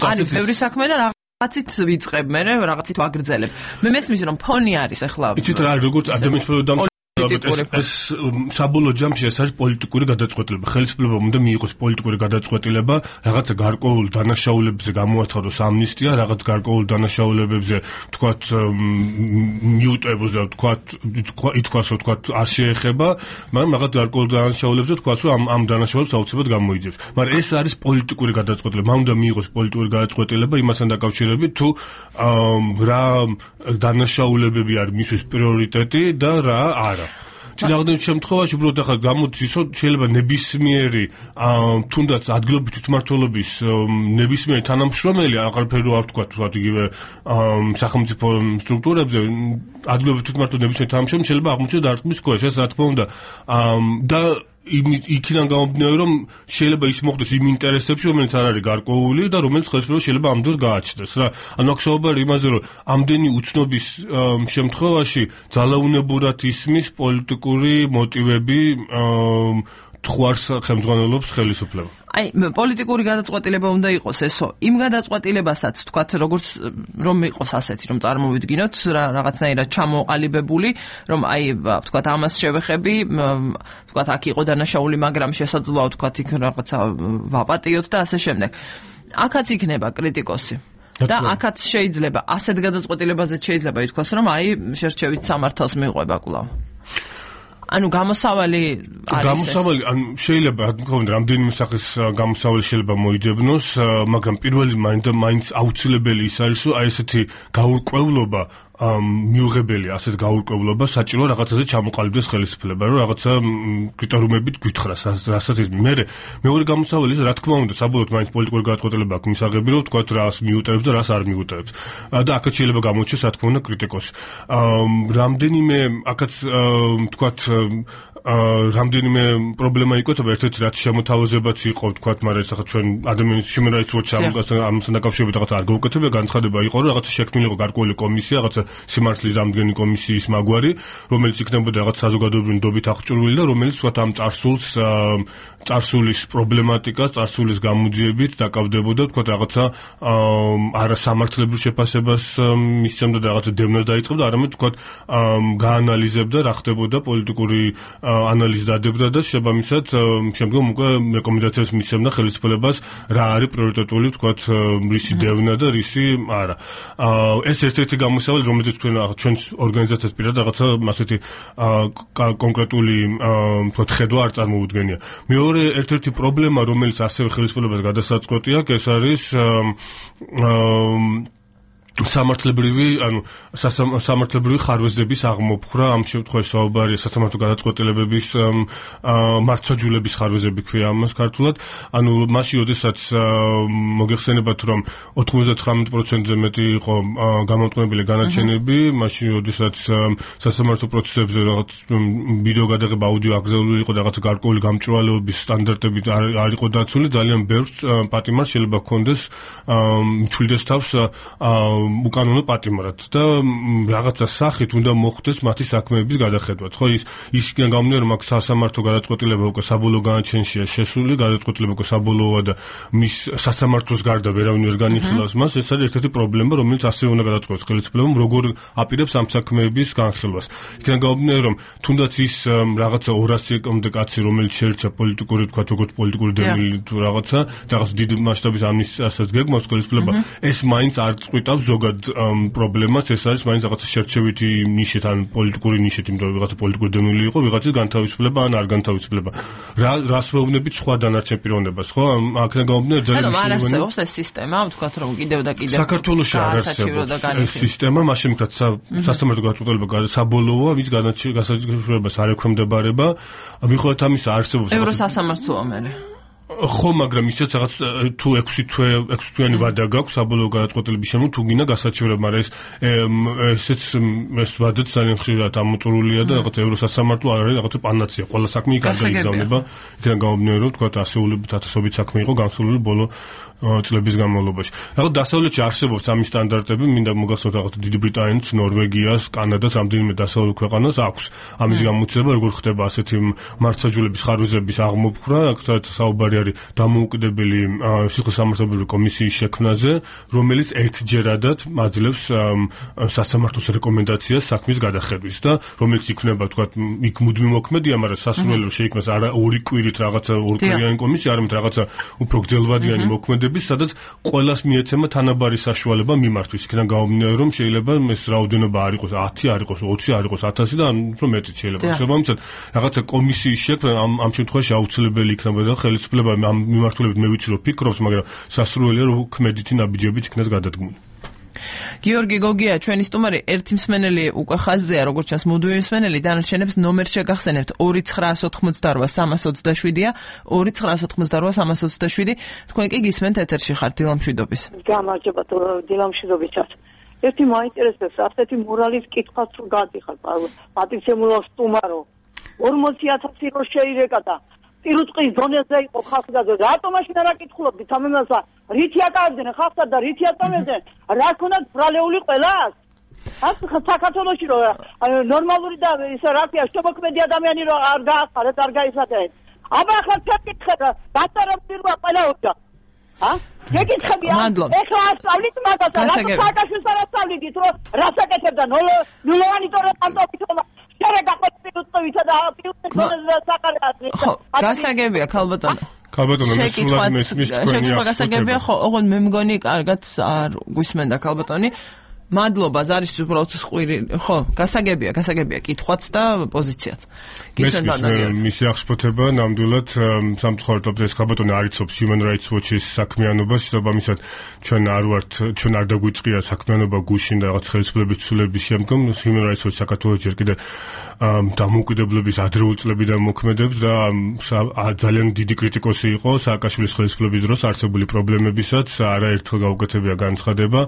არის ბევრი საქმე და რაღაცით ვიწყებ, მე რაღაცით ვაგრძელებ. მე მესმის რომ ფონი არის ახლა. იცით რა, როგორც ადამიანის ეს საბოლოო ჯამში ეს არის პოლიტიკური გადაწყვეტილება. ხელისუფლებამ უნდა მიიღოს პოლიტიკური გადაწყვეტილება, რაღაცა გარკვეულ დანაშაულებებზე გამოაცხადოს ამნისტია, რაღაც გარკვეულ დანაშაულებებზე თქვათ მიუტევოს და ითქვას, რომ თქვათ არ შეეხება, მაგრამ რაღაც გარკვეულ დანაშაულებებზე თქვას, რომ ამ დანაშაულებს აუცილებლად გამოიძებს. მაგრამ ეს არის პოლიტიკური გადაწყვეტილება. მან უნდა მიიღოს პოლიტიკური გადაწყვეტილება იმასთან დაკავშირებით, თუ რა დანაშაულებები არის მისთვის პრიორიტეტი და რა არა. წინააღმდეგ შემთხვევაში უბრალოდ ახლა გამოდის, რომ შეიძლება ნებისმიერი თუნდაც ადგილობრივი თვითმმართველობის ნებისმიერი თანამშრომელი, აღარაფერი არ ვთქვა, თქვათ იგივე სახელმწიფო სტრუქტურებზე, ადგილობრივი თვითმმართველობის ნებისმიერი თანამშრომელი შეიძლება აღმოჩნდეს დარტყმის ქვეშ, ეს რა თქმა უნდა, და იქიდან გამომდინარე, რომ შეიძლება ის მოხდეს იმ ინტერესებში, რომელიც არ არის გარკვეული და რომელიც ხელისუფლება შეიძლება ამ დროს გააჩნდეს რა. ანუ აქ საუბარი იმაზე, რომ ამდენი უცნობის შემთხვევაში ძალაუნებურად ისმის პოლიტიკური მოტივები თხვარს ხელმძღვანელობს ხელისუფლება. აი, პოლიტიკური გადაწყვეტილება უნდა იყოს ესო. იმ გადაწყვეტილებასაც თქვათ, როგორც რომ იყოს ასეთი, რომ წარმოვიდგინოთ რაღაცნაირად ჩამოყალიბებული, რომ აი, თქვათ, ამას შევეხები, თქვათ, აქ იყო დანაშაული, მაგრამ შესაძლოა თქვათ, იქ რაღაცა ვაპატიოთ და ასე შემდეგ. აქაც იქნება კრიტიკოსი. და აქაც შეიძლება ასეთ გადაწყვეტილებაზე შეიძლება ითქვას, რომ აი, შერჩევით სამართალს მიყვება კვლავ. ანუ გამოსავალი შეიძლება რამდენიმე სახის გამოსავალი შეიძლება მოიძებნოს, მაგრამ პირველი მაინც აუცილებელი ის არის, რომ აი ესეთი გაურკვევლობა მიუღებელია, ასეთ გაურკვევლობა საჭიროა რაღაცაზე ჩამოყალიბდეს ხელისუფლება, რომ რაღაცა კრიტერიუმებით გვითხრას, რასაც ის მეორე გამოსავალი ის რა თქმა უნდა, საბოლოოდ მაინც პოლიტიკური გადაწყვეტილება აქვს მისაღები, რომ თქვათ რას მიუტევებს და რას არ მიუტევებს. და აქაც შეიძლება გამოჩნდეს, რა თქმა უნდა, კრიტიკოსი. რამდენიმე აქაც თქვათ რამდენიმე პრობლემა იკვეთება, ერთ-ერთი რაც შემოთავაზებაც იყო, თქვათ, მაგრამ ეს ახლა ჩვენ ადამიანის human rights watch ამასთან დაკავშირებით რაღაცა არ გაუკეთებია, განცხადება იყო, რომ რაღაცა შექმნილი იყო გარკვეული კომისია, რაღაცა სიმართლის დამდგენი კომისიის მაგვარი, რომელიც იქნებოდა რაღაც საზოგადოებრივი ნდობით აღჭურვილი და რომელიც თქვათ ამ წარსულის პრობლემატიკას, წარსულის გამოძიებით დაკავდებოდა, თქვათ რაღაცა არასამართლებრივ შეფასებას მისცემდა და რაღაცა დევნას დაიწყებდა, არამედ თქვათ გაანალიზებდა რა ხდებოდა პოლიტიკური ანალიზი დადებდა და შესაბამისად შემდგომ უკვე რეკომენდაციებს მისცემდა ხელისუფლებას რა არის პრიორიტეტული თქვათ რისი დევნა და რისი არა. ეს ერთ-ერთი გამოსავალი რომელიც ჩვენ ორგანიზაციას პირად რაღაცა ასეთი კონკრეტული თქვათ ხედვა არ წარმოუდგენია. მეორე ერთ-ერთი პრობლემა რომელიც ასევე ხელისუფლებას გადასაწყვეტი აქვს ეს არის სამართლებრივი ხარვეზების აღმოფხრა ამ შემთხვევაში საუბარია სასამართლო გადაწყვეტილებების მართვაჯულების ხარვეზები ქვია ამას ქართულად ანუ მაშინ როდესაც მოგეხსენებათ რომ 99%-ზე მეტი იყო გამომტყუნებელი განაჩენები მაშინ როდესაც სასამართლო პროცესებზე რაღაც ვიდეო გადაღება აუდიო აკრძალული იყო და რაღაც გარკვეული გამჭვირვალეობის სტანდარტები არ იყო დაცული ძალიან ბევრს პატიმარს შეიძლება ჰქონდეს მithuldes თავს უკანონო პატიმრად და რაღაცა სახით უნდა მოხდეს მათი საქმეების გადახედვაც. ხო ის გამომდინარე რომ აქ სასამართლო გადაწყვეტილება უკვე საბოლოო განაჩენშია შესული, გადაწყვეტილება უკვე საბოლოოა და მის სასამართლოს გარდა ვერავინ ვერ განიხილავს მას. ეს არის ერთ-ერთი პრობლემა, რომელიც ასევე უნდა გადაწყვეტოს ხელისუფლებამ, როგორ აპირებს ამ საქმეების განხილვას. იქიდან გამომდინარე რომ თუნდაც ის რაღაცა 200-მდე კაცი რომელიც შეერჩა პოლიტიკური თქვა როგორც პოლიტიკური დევნილი თუ რაღაცა დიდ მასშტაბის ამნისტიასაც გეგმავს ხელისუფლება ეს მაინც არ წყვიტავს ზოგად პრობლემას ეს არის მაინც რაღაცა შერჩევითი ნიშით ან პოლიტიკური ნიშით იმიტომ რომ რაღაცა პოლიტიკური დევნილი იყო ვიღაცის განთავისუფლება ან არ განთავისუფლება რას ვეუბნებით სხვა დანარჩენ პიროვნებას ხო აქედან გამომდინარე ძალიან ანუ არ არსებობს ეს სისტემა ვთქვათ რომ კიდევ და კიდევ საქართველოში არ არსებობს ეს სისტემა მაშინ ვთქვათ სასამართლო გადაწყვეტილება საბოლოოა ვის განაჩენებას არ ექვემდებარება მიუხედავად ამისა არსებობს ევროსასამართლოა მე ხო, მაგრამ ისეც რაღაც თუ 6 თვიანი ვადა გაქვს საბოლოო გადაწყვეტილების შემო თუ გინდა გასაჩივრება, მაგრამ ესეც ეს ვადაც ძალიან ხშირად ამოწურულია და რაღაც ევროსასამართლო არ არის რაღაცა პანაცეა. ყველა საქმე იქ არ გაიგზავნება. იქიდან გამომდინარე რომ თქვა ასეულობით ათასობით საქმე იყო განხილული ბოლო წლების განმავლობაში. რაღაც დასავლეთში არსებობს ამის სტანდარტები, მინდა მოგახსოვოთ რაღაც დიდი ბრიტანეთს, ნორვეგიას, კანადას, რამდენიმე დასავლურ ქვეყანას აქვს ამის გამოცდილება, როგორ ხდება ასეთი მართვაჯულების ხარვეზების აღმოფხრა, აქაც საუბარი არის დამოუკიდებელი სიხესამართლებრივი კომისიის შექმნაზე, რომელიც ერთჯერადად აძლევს სასამართლოს რეკომენდაციას საქმის გადახედვის და რომელიც იქნება თქვა იქ მუდმივ მოქმედია, მაგრამ სასურველო შეიქმნას არა ორი კვირით რაღაცა ორკვირიანი კომისია, არამედ რაღაცა უფრო გრძელვადიანი მოქმედება სადაც ყველას მიეცემა თანაბარი საშუალება მიმართვის. იქიდან გამომდინარე რომ შეიძლება ეს რაოდენობა არ იყოს 10, არ იყოს 20, არ იყოს 1000 და უფრო მეტიც შეიძლება. შესაბამისად, რაღაცა კომისიის შექმნა ამ შემთხვევაში აუცილებელი იქნება და ხელისუფლება ამ მიმართულებით მე ვიცი რომ ფიქრობს, მაგრამ სასურველია რომ ქმედითი ნაბიჯებით იქნას გადადგმული. გიორგი გოგია, ჩვენი სტუმარი, ერთი მსმენელი უკვე ხაზზეა, როგორც ჩანს, მუდმივი მსმენელი, დანარჩენებს ნომერს შეგახსენებთ 2988-327-ია, 2988-327. თქვენ კი გისმენთ ეთერში ხართ დილამშვიდობის. გამარჯობა დილამშვიდობისას. ერთი მაინტერესებს, ასეთი მორალის კითხვას თუ გადიხარ, პატიცემულო სტუმარო. 40000 რო შეირეკა და პირუტყის დონეზე იყო ხალხი და რატომ მაშინ არ აკითხულობდით ამ იმასა რითი აკავებდნენ ხალხსა და რითი აწამებდნენ რა ქონდათ ბრალეული ყველას საქართველოში რო ნორმალური და ისე რა ქვია შემოქმედი ადამიანი რო არ გაახარეთ არ გაიხადეთ აბა ახლა ჩაკითხე და დაწარებულება ყველა უნდა გეკითხებია ეხლა ასწავლით მაგას რა საკაშვილს არ ასწავლით რომ რა საკეთებდა ნულოვანი თორე პანტოფით გასაგებია ქალბატონო. ქალბატონო მესმის თქვენი ახლა გასაგებია ხო, ოღონდ მე მგონი კარგად არ გვისმენდა ქალბატონი. მადლობა, ზარის უბრალოდ სყვირი, ხო, გასაგებია კითხვაც და პოზიციაც. მისი აღსფოთება ნამდვილად სამწუხაროდ ეს ქალბატონი არ იცობს Human Rights Watch-ის საქმიანობას, შესაბამისად ჩვენ არ დაგვიწყია საქმიანობა გუშინ და რაღაც ხელისუფლების ცვლილების შემდგომ Human Rights Watch საქართველოს ჯერ კიდევ დამოუკიდებლობის ადრეული წლებიდან მოქმედებს და ძალიან დიდი კრიტიკოსი იყო სააკაშვილის ხელისუფლების დროს არსებული პრობლემებისაც, არაერთხელ გაუკეთებია განცხადება,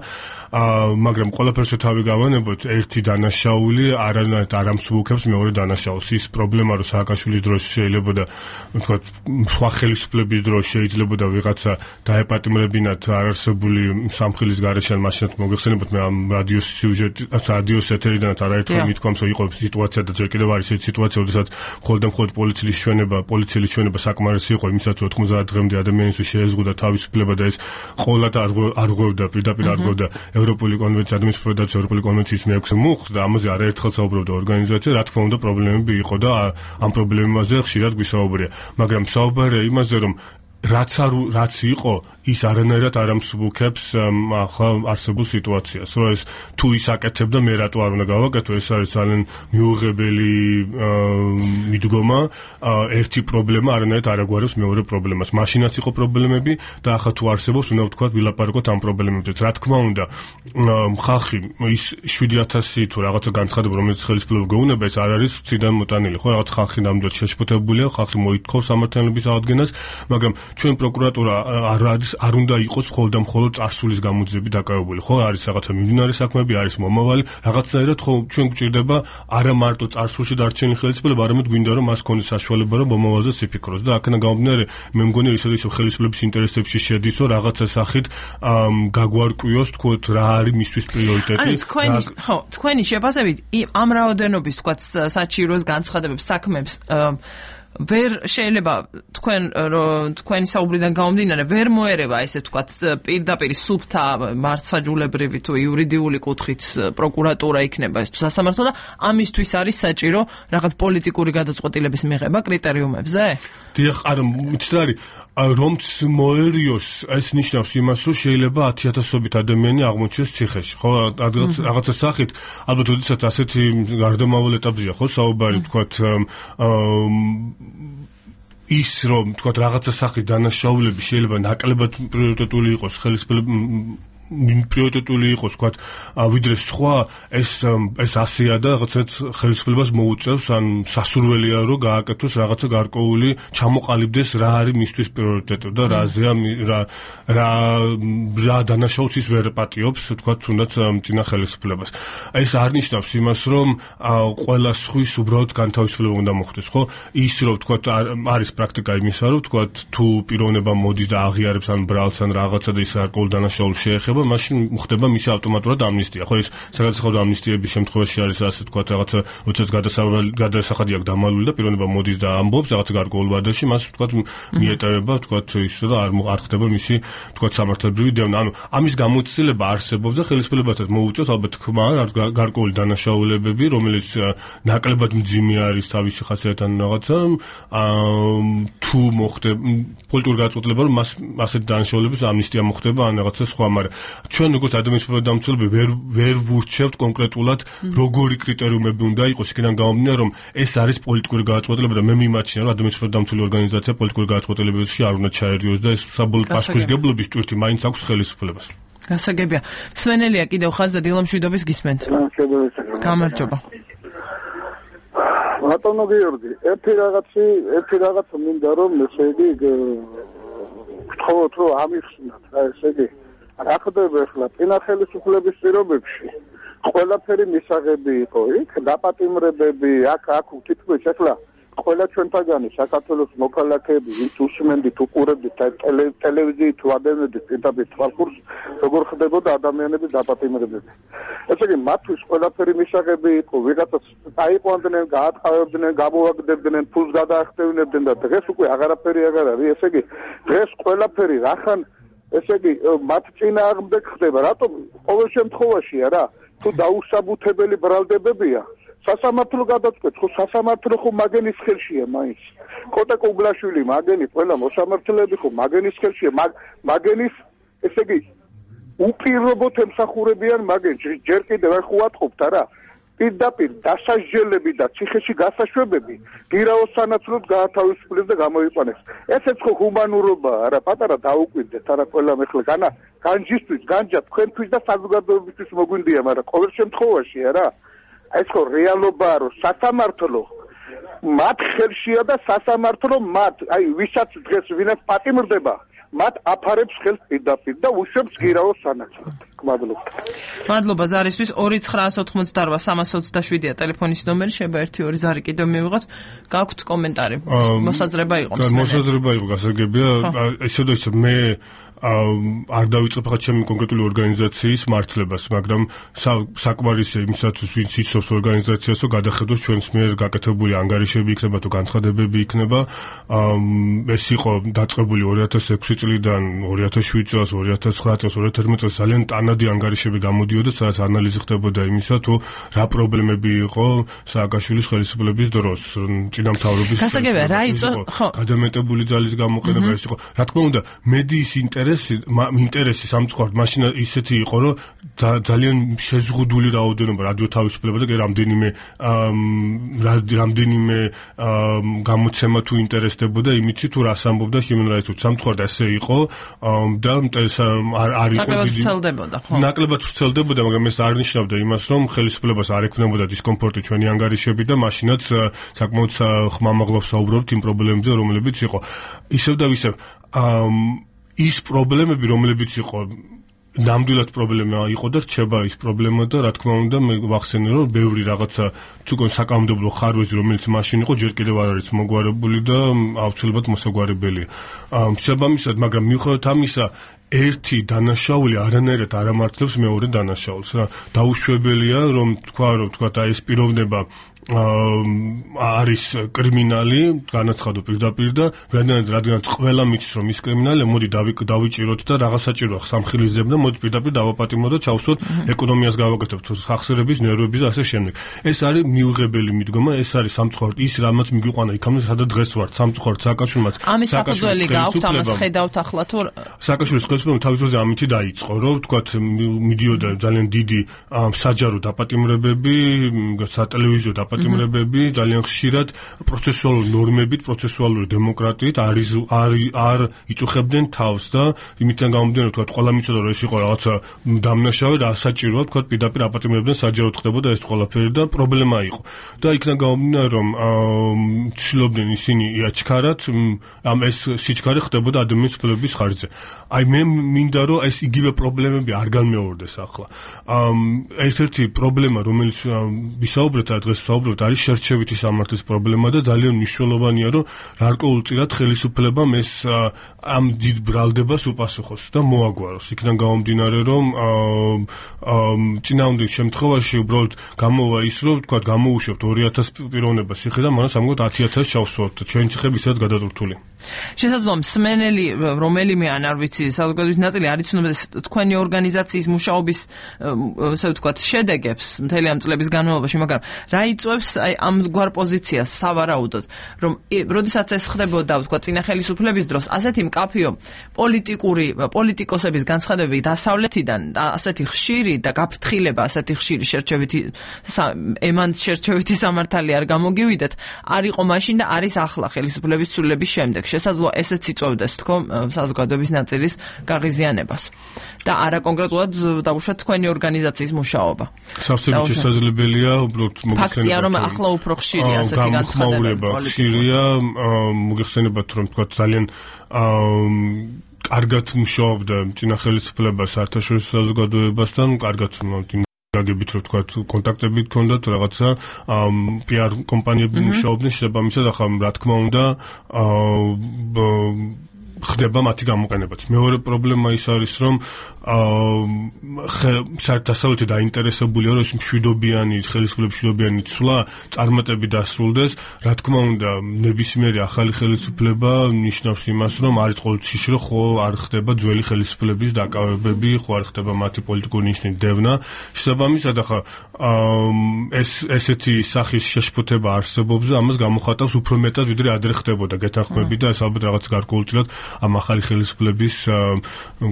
მაგრამ ყველაფერს თავი გავანებოთ, ერთი დანაშაული არანაირად არ ამსუბუქებს მეორე დანაშაულს. ის პრობლემა რომ სააკაშვილის დროს შეიძლება და თქვა სხვა ხელისუფლების დროს შეიძლება და ვიღაცა დაეპატიმრებინათ არარსებული სამხილის გარეშე მაშინაც მოგეხსენებათ მე ამ რადიოს სიუჟეტს ეთერიდანაც არაერთხელ მithქვამს რომ იყო სიტუაცია და ჯერ კიდევ არის ეს სიტუაცია, როდესაც მხოლოდ პოლიციის ჩვენება საკმარისი იყო იმისაც 90 დღემდე ადამიანისთვის შეეზღუდა თავისუფლება და ეს ყოველად არ ღვევდა პირდაპირ არ ღვევდა ევროპული კონვენცია ადამიანის ევროპული კონვენციის მე-6 მუხლს და ამაზე არაერთხელ საუბრობდა ორგანიზაცია, რა თქმა უნდა პრობლემები იყო და ამ პრობლემაზე ხშირად გვისაუბრია. მაგრამ საუბარია იმაზე, რომ რაც იყო ის არანაირად არ ამსუბუქებს ახლა არსებულ სიტუაციას. რომ ეს თუ ის აკეთებდა მე რატო არ უნდა გავაკეთო, ეს არის ძალიან მიუღებელი მიდგომა. ერთი პრობლემა არანაირად არ აგვარებს მეორე პრობლემას. მაშინაც იყო პრობლემები და ახლა თუ არსებობს, უნდა ვთქვათ, ვილაპარაკოთ ამ პრობლემებზეც. რა თქმა უნდა, ხალხი ის 7000 თუ რაღაცა განცხადება, რომელიც ხელისუფლება გეუბნება, ეს არ არის ციდან მოტანილი, ხო? რაღაც ხალხი ნამდვილად შეშფოთებულია, ხალხი მოითხოვს სამართლიანობის აღდგენას, მაგრამ ჩვენ პროკურატურა არ უნდა იყოს მხოლოდ წარსულის გამოძიებით დაკავებული. ხო, არის რაღაცა მიმდინარე საქმეები, არის მომავალი, რაღაცნაირად ხო ჩვენ გვჭირდება არა მარტო წარსულში დარჩენილი ხელისუფლება, არამედ გვინდა რომ მას ქონდეს საშუალება რომ მომავალზეც იფიქროს და აქედან გამომდინარე მე მგონი ისე ხელისუფლების ინტერესებში შედის, რომ რაღაცა სახით გაგვარკვიოს, თქოთ, რა არის მისთვის პრიორიტეტი. თქვენი შეფასებით ამ რაოდენობის თქვათ საჭიროს განცხადებებს, საქმებს ვერ შეიძლება თქვენი საუბრიდან გამომდინარე ვერ მოერევა ესე თქვათ პირდაპირ სუფთა მართლმსაჯულებრივი თუ იურიდიული კუთხით პროკურატურა იქნება ეს თუ სასამართლო და ამისთვის არის საჭირო რაღაც პოლიტიკური გადაწყვეტილების მიღება კრიტერიუმებზე? დიახ, არა, მიცდარი რომც მოერიოს ეს ნიშნავს იმას, რომ შეიძლება 10000-ობით ადამიანი აღმოჩნდეს ციხეში, ხო? რაღაცა სახით, ალბათ ოდესაც ასეთი გარდამავალ ეტაპზეა, ხო, საუბარი, თქვათ ის რომ თქვათ რაღაცა სახის დანაშაულები შეიძლება ნაკლებად პრიორიტეტული იყოს პრიორიტეტული იყოს თქვათ ვიდრე სხვა ეს ასეა და რაღაცაც ხელისუფლებას მოუწევს ან სასურველია რომ გააკეთოს რაღაცა გარკვეული ჩამოყალიბდეს რა არის მისთვის პრიორიტეტი და რა დანაშაულს ის ვერ პატიობს თქვათ თუნდაც წინა ხელისუფლებას. ეს არ ნიშნავს იმას რომ ყველა სხვის უბრალოდ განთავისუფლება უნდა მოხდეს, ხო? ის რომ თქვათ არის პრაქტიკა იმისა რომ თქვათ თუ პიროვნება მოდის და აღიარებს ან ბრალს ან რაღაცა და ის გარკვეულ დანაშაულს შეეხება მაშინ ხდება მისი ავტომატურად ამნისტია. ხო ის საგადასახადო ამნისტიების შემთხვევაში არის ასე თქვათ რაღაცა როდესაც გადასახადი აქვს დამალული და პიროვნება მოდის და ამბობს რაღაცა გარკვეულ ვადაში, მას თქვათ მიეტევება თქვათ ის და არ ხდება მისი თქვათ სამართლებრივი დევნა. ანუ ამის გამოცდილება არსებობს და ხელისუფლებასაც მოუწევს ალბათ ხმა გარკვეული დანაშაულებები, რომელიც ნაკლებად მძიმე არის თავისი ხასიათთან რაღაცა თუ მოხდება პოლიტიკური გადაწყვეტილება რომ მას ასეთი დანაშაულების ამნისტია მოხდება ან რაღაცა სხვა, მაგრამ ჩვენ როგორც ადამიანის დამცველები ვერ ვურჩევთ კონკრეტულად როგორი კრიტერიუმები უნდა იყოს, იქიდან გამომდინარე რომ ეს არის პოლიტიკური გადაწყვეტილება და მე მიმაჩნია რომ ადამიანის დამცველი ორგანიზაცია პოლიტიკური გადაწყვეტილებებში არ უნდა ჩაერიოს და ეს საბოლოო პასუხისგებლობის ტვირთი მაინც აქვს ხელისუფლებას. გასაგებია. სვენელია კიდევ ხაზ და დილამშვიდობის გისმენთ. გამარჯობა. ბატონო გიორგი, ერთი რაღაცა მინდა რომ ესე იგი გთხოვოთ რომ ამიხსნათ რა ესე იგი რა ხდება ახლა წინა ხელისუფლების პირობებში ყველაფერი მისაღები იყო იქ დაპატიმრებები აქ თითქმის ახლა ყველა ჩვენთაგანი საქართველოს მოქალაქეები ვინც უსმენდით უყურებდით ტელევიზიით თუ ადამიანები პირდაპირ თვალყურს როგორ ხდებოდა ადამიანების დაპატიმრებები. ესე იგი მათთვის ყველაფერი მისაღები იყო, ვიღაცას აიყვანდნენ, გაატყავებდნენ, გამოვაგდებდნენ, ფულს გადაახდევნებდნენ და დღეს უკვე აღარაფერი აღარ არის. ესე იგი დღეს ყველაფერი რახან ესე იგი მათ წინააღმდეგ ხდება. რატომ ყოველ შემთხვევაში არა თუ დაუსაბუთებელი ბრალდებებია სასამართლო გადაწყვეტს, ხო სასამართლო ხო მაგენის ხელშია მაინც. კოტა კუგლაშვილი მაგენი ყველა მოსამართლეები ხო მაგენის ხელშია, მაგენის ესე იგი უპირობოდ ემსახურებიან მაგენს. ჯერ კიდევ არ ხუატყობთ არა პირდაპირ დასაჯელები და ციხეში გასაშვებები გირაოს სანაცვლოდ გაათავისუფლეს და გამოიყვანეს. ესეც ხო ჰუმანურობაა არა პატარა დაუკვირდეთ არა ყველამ ახლა განჯისთვის განჯა თქვენთვის და საზოგადოებისთვის მოგვინდია, მაგრამ ყოველ შემთხვევაში არა ეს ხო რეალობაა რომ სასამართლო მათ ხელშია და სასამართლო მათ აი ვისაც დღეს ვინაც პატიმრდება მათ აფარებს ხელს პირდაპირ და უშვებს გირაოს სანაცვლოდ. მადლობა ზარისთვის 2-988-327-ია ტელეფონის ნომერი, შეიძლება 1-2 ზარი კიდევ მივიღოთ. გაქვთ კომენტარი? მოსაზრება იყო. მოსაზრება იყო, გასაგებია. ისე მე არ დავიწყებ ხა ჩემი კონკრეტული ორგანიზაციის მართლებას, მაგრამ საკმარისია იმისათვის, ვინც იცნობს ორგანიზაციას, რომ გადახედოს ჩვენს მიერ გაკეთებული ანგარიშები იქნება თუ განცხადებები იქნება. ეს იყო დაწყებული 2006 წლიდან 2007 წელს, 2009 წელს, 2011 წელს ძალიან ტანადი ანგარიშები გამოდიოდა, სადაც ანალიზი ხდებოდა იმისა, თუ რა პრობლემები იყო სააკაშვილის ხელისუფლების დროს, წინამთავრობის. გასაგებია, რა იწო, ხო. გადამეტებული ძალის გამოყენება ეს იყო. რა თქმა უნდა, მედიის ინტერესი სამწუხაროდ მაშინ ისეთი იყო, რომ ძალიან შეზღუდული რაოდენობა რადიო თავისუფლება და რამდენიმე გამოცემა თუ ინტერესდებოდა იმით, თუ რას ამბობდა Human Rights Watch. სამწუხაროდ ასე იყო და არ იყო ნაკლებად ვრცელდებოდა, მაგრამ ეს არ ნიშნავდა იმას, რომ ხელისუფლებას არ ექნებოდა დისკომფორტი ჩვენი ანგარიშები და მაშინაც საკმაოდ ხმამაღლა ვსაუბრობთ იმ პრობლემებზე, რომლებიც იყო. ისევ და ისევ ის პრობლემები, რომლებიც იყო ნამდვილად პრობლემა იყო და რჩება ის პრობლემა და რა თქმა უნდა მე ვახსენე რომ ბევრი რაღაცა თუკონ საკანონმდებლო ხარვეზი რომელიც მაშინ იყო ჯერ კიდევ არ არის მოგვარებული და აუცილებლად მოსაგვარებელია. შესაბამისად, მაგრამ მიუხედავად ამისა ერთი დანაშაული არანაირად არ ამართლებს მეორე დანაშაულს. დაუშვებელია რომ თქვა ეს პიროვნება არის კრიმინალი, განაცხადო პირდაპირ და რადგან ყველა მიცის რომ ის კრიმინალია, მოდი დავიჭიროთ და რაღაც საჭიროა სამხილისძებ და მოდი პირდაპირ დავაპატიმროთ და ჩავსვოთ ეკონომიას გავაკეთებთ, ხახსრების, ნერვების და ასე შემდეგ. ეს არის მიუღებელი მიდგომა, ეს არის სამწუხაროდ ის რამაც მიგვიყვანა იქამდე, სადაც დღეს ვართ. სამწუხაროდ სააკაშვილმაც ამის საფუძველი გააქვთ, ამას ხედავთ ახლა თუ სააკაშვილის ხელისუფლება თავის დროზე ამითი დაიწყო, რომ თქვათ მიდიოდა ძალიან დიდი საჯარო დაპატიმრებები, სატელევიზიო დაპატიმრებები, ძალიან ხშირად პროცესუალური ნორმებით, პროცესუალური დემოკრატიით არ იწუხებდნენ თავს და იმითთან გამომდინარე, თქვათ, ყველა მიცოდა რომ ეს იყო რაღაცა დამნაშავე და საჭიროა, თქვათ, პირდაპირ აპატიმრებდნენ, საჯაროდ ხდებოდა ეს ყველაფერი და პრობლემა იყო. და იქიდან გამომდინარე, რომ ცდილობდნენ ისინი იაჩქარათ, ეს სიჩქარე ხდებოდა ადამიანის უფლებების ხარჯზე. აი მე მინდა რომ ეს იგივე პრობლემები არ განმეორდეს ახლა. ერთ-ერთი პრობლემა, რომელიც ვისაუბრეთ დღეს ვსაუბრობთ, არის შერჩევითი სამართლის პრობლემა და ძალიან მნიშვნელოვანია, რომ გარკვეულწილად ხელისუფლებამ ეს ამ დიდ ბრალდებას უპასუხოს და მოაგვაროს. იქიდან გამომდინარე, რომ წინააღმდეგ შემთხვევაში უბრალოდ გამოვა ის, რომ თქვა გამოუშვებთ 2000 პიროვნებას ციხიდან, მაგრამ სამგოთ 10000 ჩავსვათ. ჩვენი ციხები ისედაც გადატვირთული. შესაძლოა მსმენელი რომელიმე ან არ ვიცი საზოგადოების ნაწილი არ იცნობს თქვენი ორგანიზაციის მუშაობის ასე ვთქვათ შედეგებს მთელი ამ წლების განმავლობაში, მაგრამ რა იწვევს აი ამგვარ პოზიციას სავარაუდოდ, რომ როდესაც ეს ხდებოდა ვთქვათ წინა ხელისუფლების დროს, ასეთი მკაფიო პოლიტიკოსების განცხადებები დასავლეთიდან ასეთი ხშირი და გაფრთხილება, ასეთი ხშირი შერჩევითი სამართალი არ გამოგივიდეთ, არ იყო მაშინ და არის ახლა ხელისუფლების ცვლილების შემდეგ. შესაძლოა ესეც იწვევდეს თქო საზოგადოების ნაწილის გაღიზიანებას და არა კონკრეტულად დაუშვათ თქვენი ორგანიზაციის მუშაობა. სავსებით შესაძლებელია უბრალოდ ფაქტია რომ ახლა უფრო ხშირია ასეთი განცხადებები. ხშირია, მოგეხსენებათ რომ თქვა ძალიან კარგად მუშაობდა წინა ხელისუფლება საერთაშორისო საზოგადოებასთან, კარგად გაგებით რომ თქვა კონტაქტები გქონდათ რაღაცა PR კომპანიები მუშაობდნენ, შესაბამისად ახლა რა თქმა უნდა ხდება მათი გამოყენებაც. მეორე პრობლემა ის არის, რომ დასავლეთი დაინტერესებულია, რომ ეს მშვიდობიანი, ხელისუფლების მშვიდობიანი ცვლა წარმატებით დასრულდეს. რა თქმა უნდა, ნებისმიერი ახალი ხელისუფლება ნიშნავს იმას, რომ არის ყოველთვის რომ ხო არ ხდება ძველი ხელისუფლების დაკავებები, ხო არ ხდება მათი პოლიტიკური ნიშნის დევნა. შესაბამისად, ახლა ესეთი სახის შეშფოთება არსებობს და ამას გამოხატავს უფრო მეტად, ვიდრე ადრე ხდებოდა. გეთანხმები და ეს ალბათ რაღაც გარკვეულწილად ამ ახალი ხელისუფლების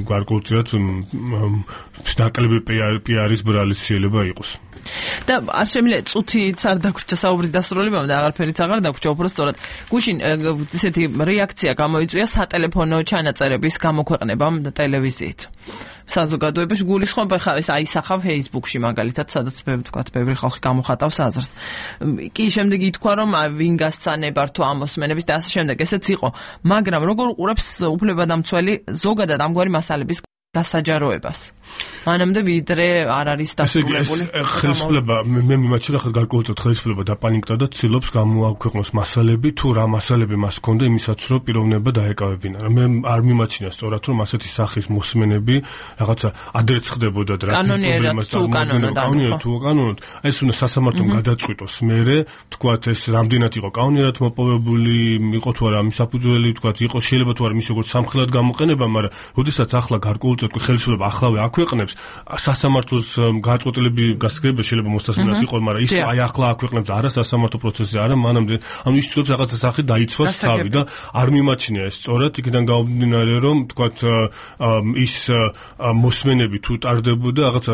გარკვეულწილად ნაკლები PR-ის ბრალიც შეიძლება იყოს. და არ შემიძლია წუთიც არ დაგვრჩა საუბრის დასრულებამ და აღარაფერიც აღარ დაგვრჩა, უფრო სწორად გუშინ ესეთი რეაქცია გამოიწვია სატელეფონო ჩანაწერების გამოქვეყნებამ ტელევიზიით. საზოგადოებაში გულისხმობა ხა ეს აისახა Facebook-ში მაგალითად, სადაც ბევრი ხალხი გამოხატავს აზრს. კი შემდეგ ითქვა რომ ვინ გასცანებარ თუ ამოსმენების და ასე შემდეგ, ესეც იყო. მაგრამ როგორ უყურებს უფლებადამცველი ზოგადად ამგვარი მასალების გასაჯაროებას? მანამდე ვიდრე არ არის დასრულებული. ხელისუფლება მე მიმაჩნია რა გარკვეულწილად ხელისუფლება დაპანიკდა და ცდილობს გამოაქვეყნოს მასალები თუ რა მასალები მას ჰქონდა იმისაც რომ პიროვნება დაეკავებინა. მე არ მიმაჩნია სწორად რომ ასეთი სახის მოსმენები რაღაცა ადრეც ხდებოდა და კანონიერად თუ კანონად ეს უნდა სასამართლომ გადაწყვიტოს მერე თქვათ ეს რამდენად იყო კანონიერად მოპოვებული იყო თუ არა მის საფუძველი თქვათ იყო შეიძლება თუ არა მის როგორც სამხილად გამოყენება მაგრამ როდესაც ახლა გარკვეულწილად ხელისუფლება ახლავე აქვეყნებს სასამართლოს გადაწყვეტილები გასაგებია შეიძლება მოსასმენად იყო მაგრამ ის აი ახლა აქვეყნებს არა სასამართლო პროცესზე არა მანამდე ანუ ის ცდილობს რაღაცა სახით დაიცვას თავი და არ მიმაჩნია ეს სწორად იქიდან გამომდინარე რომ თქვათ ის მოსმენები თუ ტარდებოდა რაღაცა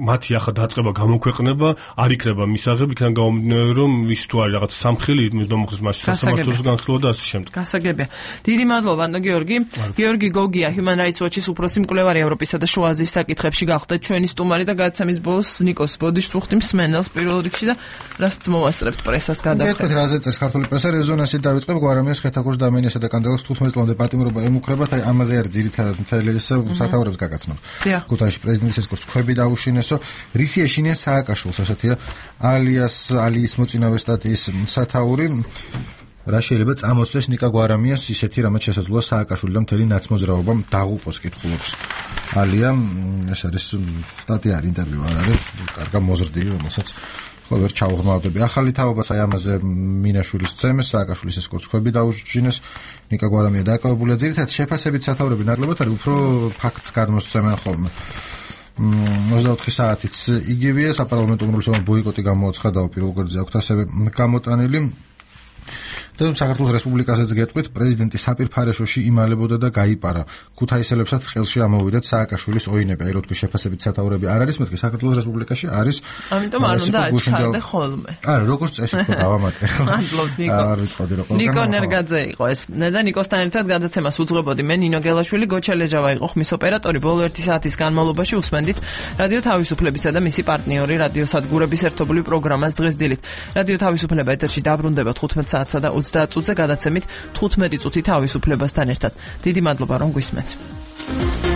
მათი ახლა დაწყება გამოქვეყნება არ იქნება მისაღები იქიდან გამომდინარე რომ ის თუ არის რაღაც სამხილი იმის დამოხსნის მასში სასამართლოს განხილვა და ასე შემდეგ გასაგებია დიდი მადლობა ნო გიორგი გოგია Human Rights Watch-ის უფროსი მკვლევარი ევროპისა და შუა აზიის საკითხებში გახდეთ ჩვენი სტუმარი და გადაცემის ბოლოს ნიკოს ბოდიშს ვუხდით მსმენელს პირველ რიგში და რასაც მოვასწრებთ პრესას გადახდეთ. მეთქეთ რაზე წეს ქართული პრესა რეზონანსი დავიწყებ გვარამიას ხეთაგურს დამენიასა და კანდელოს 15 წლამდე პატიმრობა ემუქრებათ აი ამაზე არის ძირითადად მთელი ეს სათაურებს გაგაცნო. ქუთაისში პრეზიდენტის ეს ქვები დაუშინესო რისი ეშინია სააკაშვილს ასეთია ალიის მოწინავე სტატიის სათაური რა შეიძლება წამოსვლეს ნიკა გვარამიას ისეთი რამაც შესაძლოა სააკაშვილიდან მთელი ნაცმოძრაობა დაღუპოს კითხულობს ალია ეს არის სტატია არ ინტერვიუ არ არის კარგა მოზრდილი რომელსაც ხო ვერ ჩაუღრმავდები ახალი თაობას აი ამაზე მინაშვილის წემეს სააკაშვილის ეს კოცხები დაუშინეს ნიკა გვარამია დაკავებულია ძირითადად შეფასებით სათაურები ნაკლებად არის უფრო ფაქტს გადმოსცემენ ხოლმე 24 საათიც იგივეა საპარლამენტო უმრავლესობა ბოიკოტი გამოაცხადა პირველ გვერდზე აქვს ასევე გამოტანილი და საქართველოს რესპუბლიკასაც გეტყვით პრეზიდენტი საპირფარეშოში იმალებოდა და გაიპარა ქუთაისელებსაც ხელში ამოვიდათ სააკაშვილის ოინები აი რო თქვი შეფასებით სათაურები არ არის მეთქი საქართველოს რესპუბლიკაში არის ამიტომ არ უნდა აჩქარდე ხოლმე არა როგორც წესი ხო დავამატე ნიკო ნერგაძე იყო ეს და ნიკოსთან ერთად გადაცემას უძღვებოდი მე ნინო გელაშვილი გოჩალეჯავა იყო ხმის ოპერატორი ბოლო 1 საათის განმავლობაში უსმენდით რადიო თავისუფლებისა და მისი პარტნიორი რადიო სადგურების ერთობლივ პროგრამას დღეს დილით რადიო თავისუფლება ეთერში დაბრუნდება 15 საათსა და 30 წუთზე გადაცემით 15 წუთი თავისუფლებასთან ერთად. დიდი მადლობა რომ გვისმენთ.